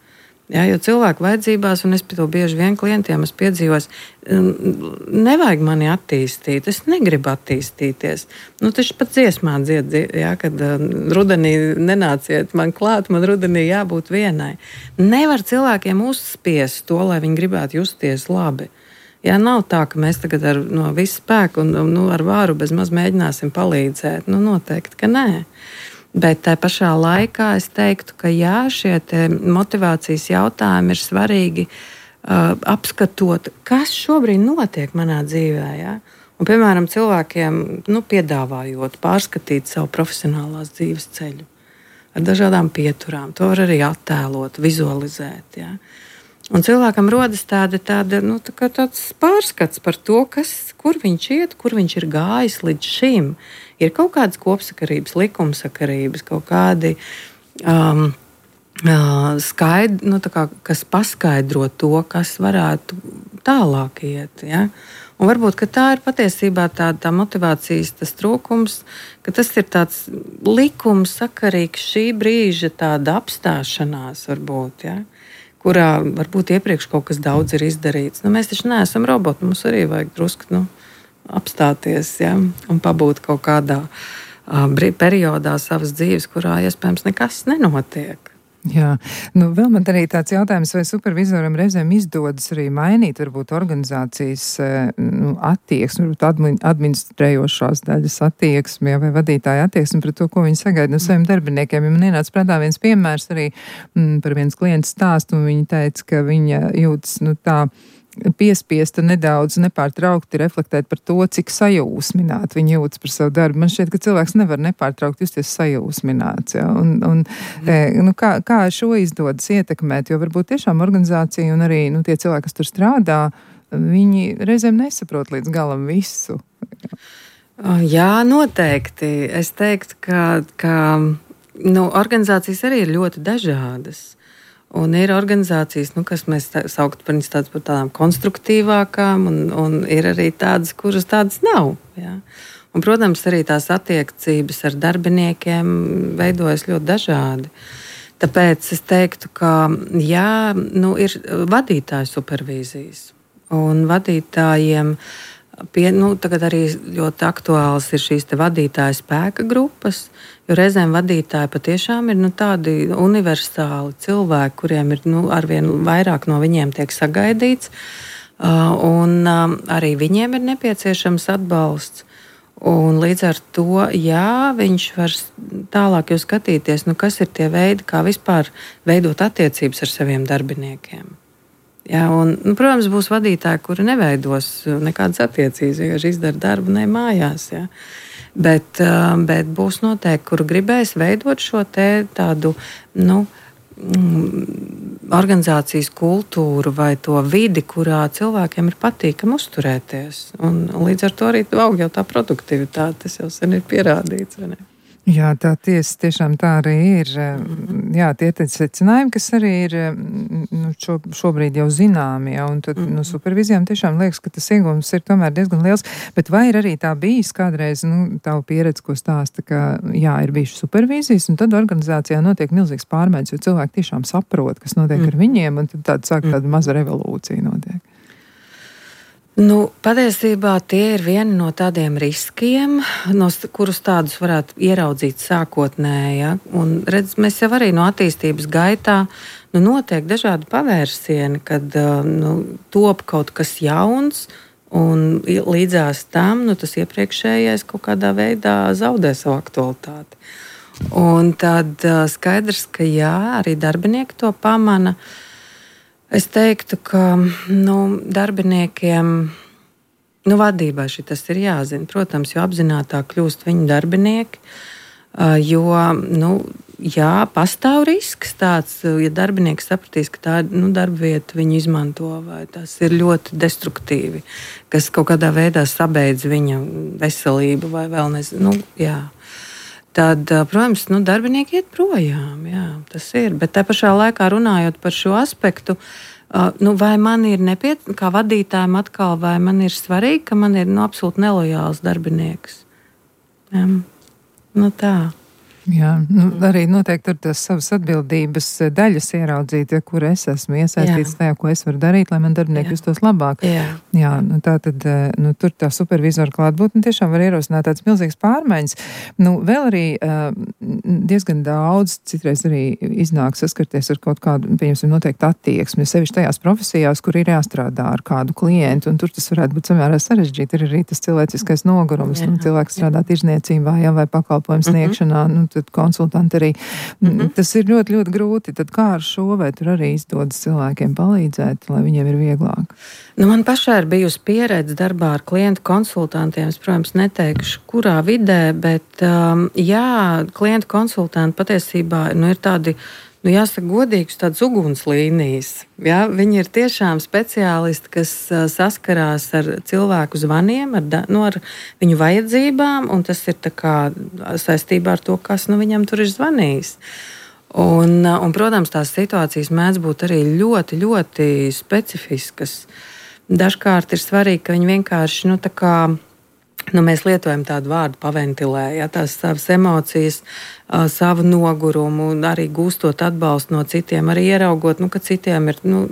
Ja, jo cilvēku vajadzībās, un es pie to bieži vien klientiem esmu piedzīvojis, nevajag mani attīstīt, es negribu attīstīties. Nu, taču pat dziesmā dzied, ja, kad rudenī nenāciet man klāt, man rudenī jābūt vienai. Nevar cilvēkiem uzspiest to, lai viņi gribētu justies labi. Ja, nav tā, ka mēs tagad ar no visu spēku un nu, ar vāru bez maz mēģināsim palīdzēt. Nu, noteikti, ka nē. Bet tā pašā laikā es teiktu, ka jā, šie motivācijas jautājumi ir svarīgi uh, apskatot, kas šobrīd notiek manā dzīvē. Ja? Un, piemēram, cilvēkiem nu, piedāvājot pārskatīt savu profesionālās dzīves ceļu ar dažādām pieturām. To var arī attēlot, vizualizēt. Ja? Un cilvēkam rodas tāda, tāda, nu, tā kā tāds pārskats par to, kas, kur viņš iet, kur viņš ir gājis līdz šim. Ir kaut kādas kopsakarības, likumsakarības, kaut kādi um, uh, skaidri, nu, kā, kas paskaidro to, kas varētu tālāk iet. Ja? Un varbūt ka tā ir patiesībā tā, tā motivācijas tas trūkums, ka tas ir tāds likumsakarīgs šī brīža tāda apstāšanās varbūt. Ja? Kurā varbūt iepriekš kaut kas daudz ir izdarīts. Nu, mēs taču neesam roboti, mums arī vajag drusku nu, apstāties ja, un pabūt kaut kādā uh, periodā savas dzīves, kurā iespējams nekas nenotiek. Jā, nu vēl man arī tāds jautājums, vai supervizoram reizēm izdodas arī mainīt varbūt organizācijas nu, attieksmi, varbūt administrējošās daļas attieksmi, ja, vai vadītāja attieksmi pret to, ko viņi sagaida no saviem darbiniekiem. Ja man ienāca prātā viens piemērs arī m, par viens klients stāstu, un viņa teica, ka viņa jūtas nu, tā piespiesta nedaudz nepārtraukti reflektēt par to, cik sajūsmināti viņi jūtas par savu darbu. Man šķiet, ka cilvēks nevar nepārtraukti justies sajūsmināts. Ja? Un, un, mm. nu, kā, kā šo izdodas ietekmēt, jo varbūt tiešām organizācija un arī nu, tie cilvēki, kas tur strādā, viņi reizēm nesaprot līdz galam visu. Jā, noteikti. Es teiktu, ka, ka nu, organizācijas arī ir ļoti dažādas. Un ir organizācijas, nu, kas mēs saukt par, par tādām konstruktīvākām, un, un ir arī tādas, kuras tādas nav. Ja? Un, protams, arī tās attiecības ar darbiniekiem veidojas ļoti dažādi. Tāpēc es teiktu, ka jā, nu, ir vadītāju supervīzijas. Un vadītājiem pie, nu, tagad arī ļoti aktuāls ir šīs te vadītāju spēka grupas. Jo reizēm vadītāji patiešām ir nu, tādi universāli cilvēki, kuriem ir nu, arvien vairāk no viņiem tiek sagaidīts. Uh, un um, arī viņiem ir nepieciešams atbalsts. Un līdz ar to, jā, viņš var tālāk jau skatīties, nu, kas ir tie veidi, kā vispār veidot attiecības ar saviem darbiniekiem. Jā, un, nu, protams, būs vadītāji, kuri neveidos nekādas attiecības, vienkārši izdara darbu ne mājās. Jā. Bet, bet būs noteikti, kuru gribēs veidot šo te tādu nu, organizācijas kultūru vai to vidi, kurā cilvēkiem ir patīkami uzturēties. Un, un līdz ar to arī aug jau tā produktivitāte, tas jau sen ir pierādīts. Vai ne? Jā, tā tiesa tiešām tā arī ir. Jā, tie ir secinājumi, kas arī ir nu, šo, šobrīd jau zināmi. Ja, un tad no nu, supervizijām tiešām liekas, ka tas iegūms ir tomēr diezgan liels. Bet vai ir arī tā bijis kādreiz, nu, tavu pieredze, ko stāsta, ka jā, ir bijuši supervīzijas, un tad organizācijā notiek milzīgs pārmaiņas, jo cilvēki tiešām saprot, kas notiek mm. ar viņiem, un tad tāda sāk tāda maza revolūcija notiek. Nu, patiesībā tie ir vieni no tādiem riskiem, no kurus tādus varētu ieraudzīt sākotnēji. Ja? Un, redz, mēs jau arī no attīstības gaitā nu, notiek dažādi pavērsieni, kad nu, top kaut kas jauns, un līdzās tam nu, tas iepriekšējais kaut kādā veidā zaudē savu aktualitāti. Un tad skaidrs, ka jā, arī darbinieki to pamana. Es teiktu, ka nu, darbiniekiem, nu, vadībai šitas ir jāzina. Protams, jo apzinātāk kļūst viņu darbinieki, jo, nu, jā, pastāv risks tāds, ja darbinieks sapratīs, ka tā nu, darba vieta viņu izmanto, vai tas ir ļoti destruktīvi, kas kaut kādā veidā sabeidz viņa veselību vai vēl nezinu, nu, jā. Tad, protams, nu, darbinieki iet projām, jā, tas ir. Bet tā pašā laikā runājot par šo aspektu, nu, vai man ir nepieciešams, kā vadītājiem atkal, vai man ir svarīgi, ka man ir nu, absolūti nelojāls darbinieks. Jā, nu tā. Jā, nu, arī noteikti tur tas savas atbildības daļas ieraudzīt, ja, kur es esmu iesaistīts tajā, ko es varu darīt, lai man darbinieki justos labāk. Jā. Jā, nu tā tad, nu, tur tā supervizora klātbūtne tiešām var ierosināt tāds milzīgs pārmaiņas. Nu, vēl arī uh, diezgan daudz, citreiz arī iznāk saskarties ar kaut kādu, pieņemsim, noteikti attieksmi, sevišķi tajās profesijās, kur ir jāstrādā ar kādu klientu, un tur tas varētu būt samērā sarežģīti. Ir arī tas cilvēciskais nogurums, nu, cilvēks strādā tirzniecībā, jā, vai pakalpojums sniegšanā, nu, tad konsultanti arī. Mm-hmm. Tas ir ļoti, ļoti grūti. Tad kā ar šo, vai tur arī izdodas cilvēkiem palīdzēt, lai viņiem ir vieglāk? Nu, man pašai ir bijusi pieredze darbā ar klientu konsultantiem. Es, protams, neteikšu, kurā vidē, bet um, jā, klientu konsultanti patiesībā nu, ir tādi, nu, jāsaka, godīgs tāds ugunslīnijas. Ja? Viņi ir tiešām speciālisti, kas uh, saskarās ar cilvēku zvaniem, ar, da, nu, ar viņu vajadzībām, un tas ir tā kā saistībā ar to, kas nu, viņam tur ir zvanījis. Un, uh, un, protams, tās situācijas mēdz būt arī ļoti, ļoti specifiskas. Dažkārt ir svarīgi, ka viņi vienkārši, nu, tā kā, nu, mēs lietojam tādu vārdu paventilē, ja, tās savas emocijas, uh, savu nogurumu, arī gūstot atbalstu no citiem, arī ieraugot, nu, ka citiem ir nu,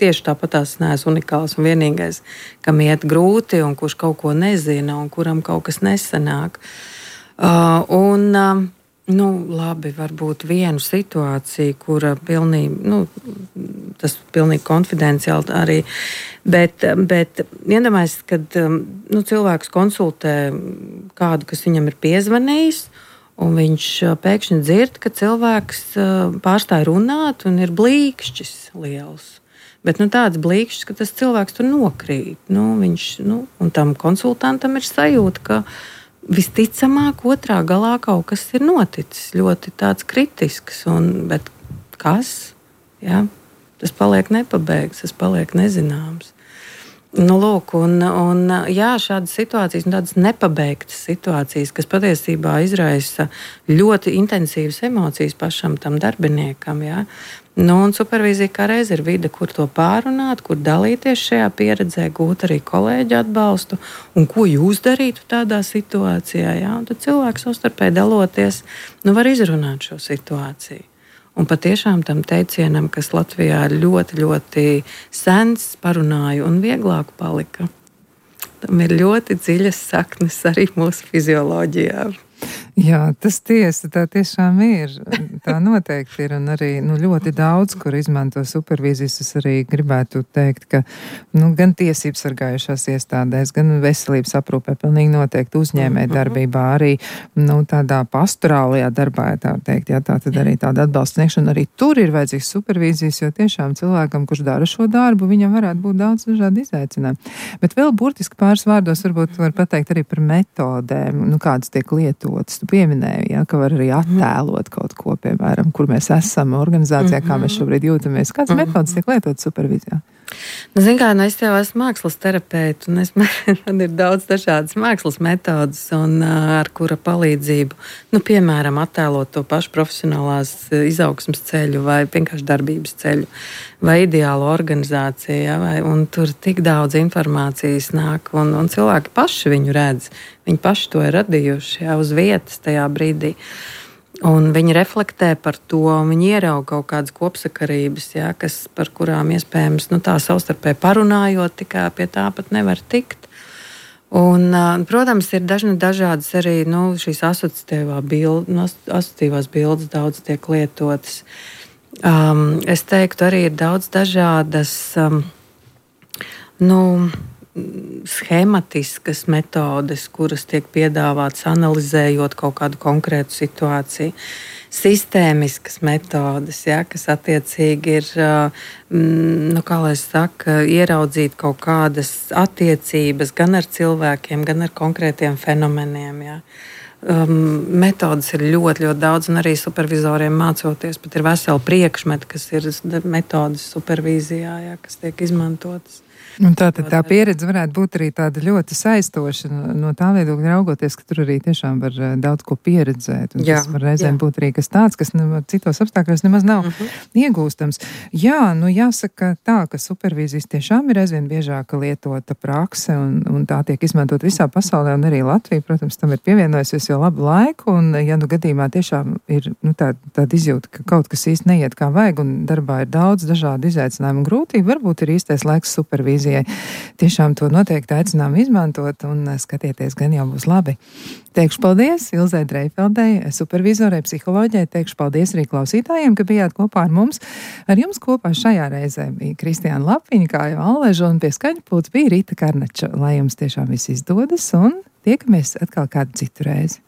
tieši tāpat tās neesmu unikāls un vienīgais, kam iet grūti un kurš kaut ko nezina un kuram kaut kas nesanāk. Uh, un, uh, nu, labi, varbūt vienu situāciju, kura pilnīgi, nu, tas pilnīgi konfidenciāli arī, bet, bet iedomājieties, kad nu, cilvēks konsultē kādu, kas viņam ir piezvanījis, un viņš pēkšņi dzird, ka cilvēks pārstāj runāt un ir blīkšķis liels. Bet nu, tāds blīkšķis, ka tas cilvēks tur nokrīt. Nu, viņš, nu, un tam konsultantam ir sajūta, ka visticamāk, otrā galā kaut kas ir noticis, ļoti tāds kritisks, un, bet kas? Ja? Tas paliek nepabeigts, tas paliek nezināms. Nu, lūk, un, un, jā, šādas situācijas, tādas nepabeigtas situācijas, kas patiesībā izraisa ļoti intensīvas emocijas pašam tam darbiniekam. Ja? Nu, un supervīzija kā reiz ir vide, kur to pārunāt, kur dalīties šajā pieredzē, gūt arī kolēģu atbalstu, un ko jūs darītu tādā situācijā. Ja? Un tad cilvēks savstarpēji daloties, nu, var izrunāt šo situāciju. Un patiešām tam teicienam, kas Latvijā ir ļoti, ļoti sens, parunāju un vieglāk palika. Tam ir ļoti dziļas saknes arī mūsu fizioloģijā. Jā, tas tiesa, tā tiešām ir. Tā noteikti ir, un arī nu, ļoti daudz, kur izmanto supervīzijas. Es arī gribētu teikt, ka nu, gan tiesības sargājušās iestādēs, gan veselības aprūpē pilnīgi noteikti uzņēmē darbībā, arī nu, tādā pastorālajā darbā, ja tā teikt, jā, tā tad arī tāda atbalsta sniegšana. Arī tur ir vajadzīgs supervīzijas, jo tiešām cilvēkam, kurš dara šo darbu, viņam varētu būt daudz dažādi izaicinājumi. Bet vēl burtiski pāris vārdos varbūt var pateikt arī par metodēm, nu, kādas tiek lietotas. Tu pieminēji, ja, ka var arī attēlot kaut ko, piemēram, kur mēs esam organizācijā, kā mēs šobrīd jūtamies. Kādas metodas tiek lietotas supervīzijā? Nu, zin kā, nu es jau esmu mākslas terapeite, un es, man ir daudz dažādas mākslas metodas, un ar kura palīdzību, nu, piemēram, attēlot to pašu profesionālās izaugsmas ceļu vai vienkārši darbības ceļu vai ideālu organizāciju, ja, vai, un tur tik daudz informācijas nāk, un, un cilvēki paši viņu redz, viņi paši to ir radījuši, ja, uz vietas tajā brīdī. Un viņi reflektē par to, viņi ierauga kaut kādas kopsakarības, ja, kas, par kurām iespējams nu, tā savstarpēji parunājot, tikai pie tā pat nevar tikt. Un, protams, ir dažni dažādas arī nu, šīs asociatīvā bilde, nu, asociatīvās bildes daudz tiek lietotas. Um, es teiktu, arī ir daudz dažādas um, nu, schematiskas metodes, kuras tiek piedāvātas analizējot kaut kādu konkrētu situāciju. Sistēmiskas metodes, ja, kas attiecīgi ir, nu, kā lai saka, ieraudzīt kaut kādas attiecības gan ar cilvēkiem, gan ar konkrētiem fenomeniem. Ja. Um, metodes ir ļoti, ļoti daudz, un arī supervizoriem mācoties, pat ir veseli priekšmeti, kas ir metodes supervīzijā, ja, kas tiek izmantotas. Un tā, tā pieredze varētu būt arī tāda ļoti saistoša no tā viedokļa raugoties, ka tur arī tiešām var daudz ko pieredzēt. Un jā, tas var reizēm jā. būt arī kas tāds, kas ne, citos apstākļos nemaz nav uh-huh. iegūstams. Jā, nu jāsaka tā, ka supervīzijas tiešām ir aizvien biežāk lietota prakse, un, un tā tiek izmantot visā pasaulē, un arī Latvija, protams, tam ir pievienojusies jau labu laiku, un ja nu gadījumā tiešām ir nu, tāda, tāda izjūta, ka kaut kas īsti neiet kā vajag, un darbā ir daudz dažādu izaicinājumu un grūtību, varbūt ir īstais laiks supervīzijai. Tiešām to noteikti aicinām izmantot un skatieties, gan jau būs labi. Teikšu paldies Ilzei Dreifeldei, supervizorei, psiholoģijai, teikšu paldies arī klausītājiem, ka bijāt kopā ar mums. Ar jums kopā šajā reizē bija Kristiāna Lapiņa, Kāja Alleža un pie skaņpults bija Rīta Karnača. Lai jums tiešām viss izdodas un tiekamies atkal kādu citu reizi.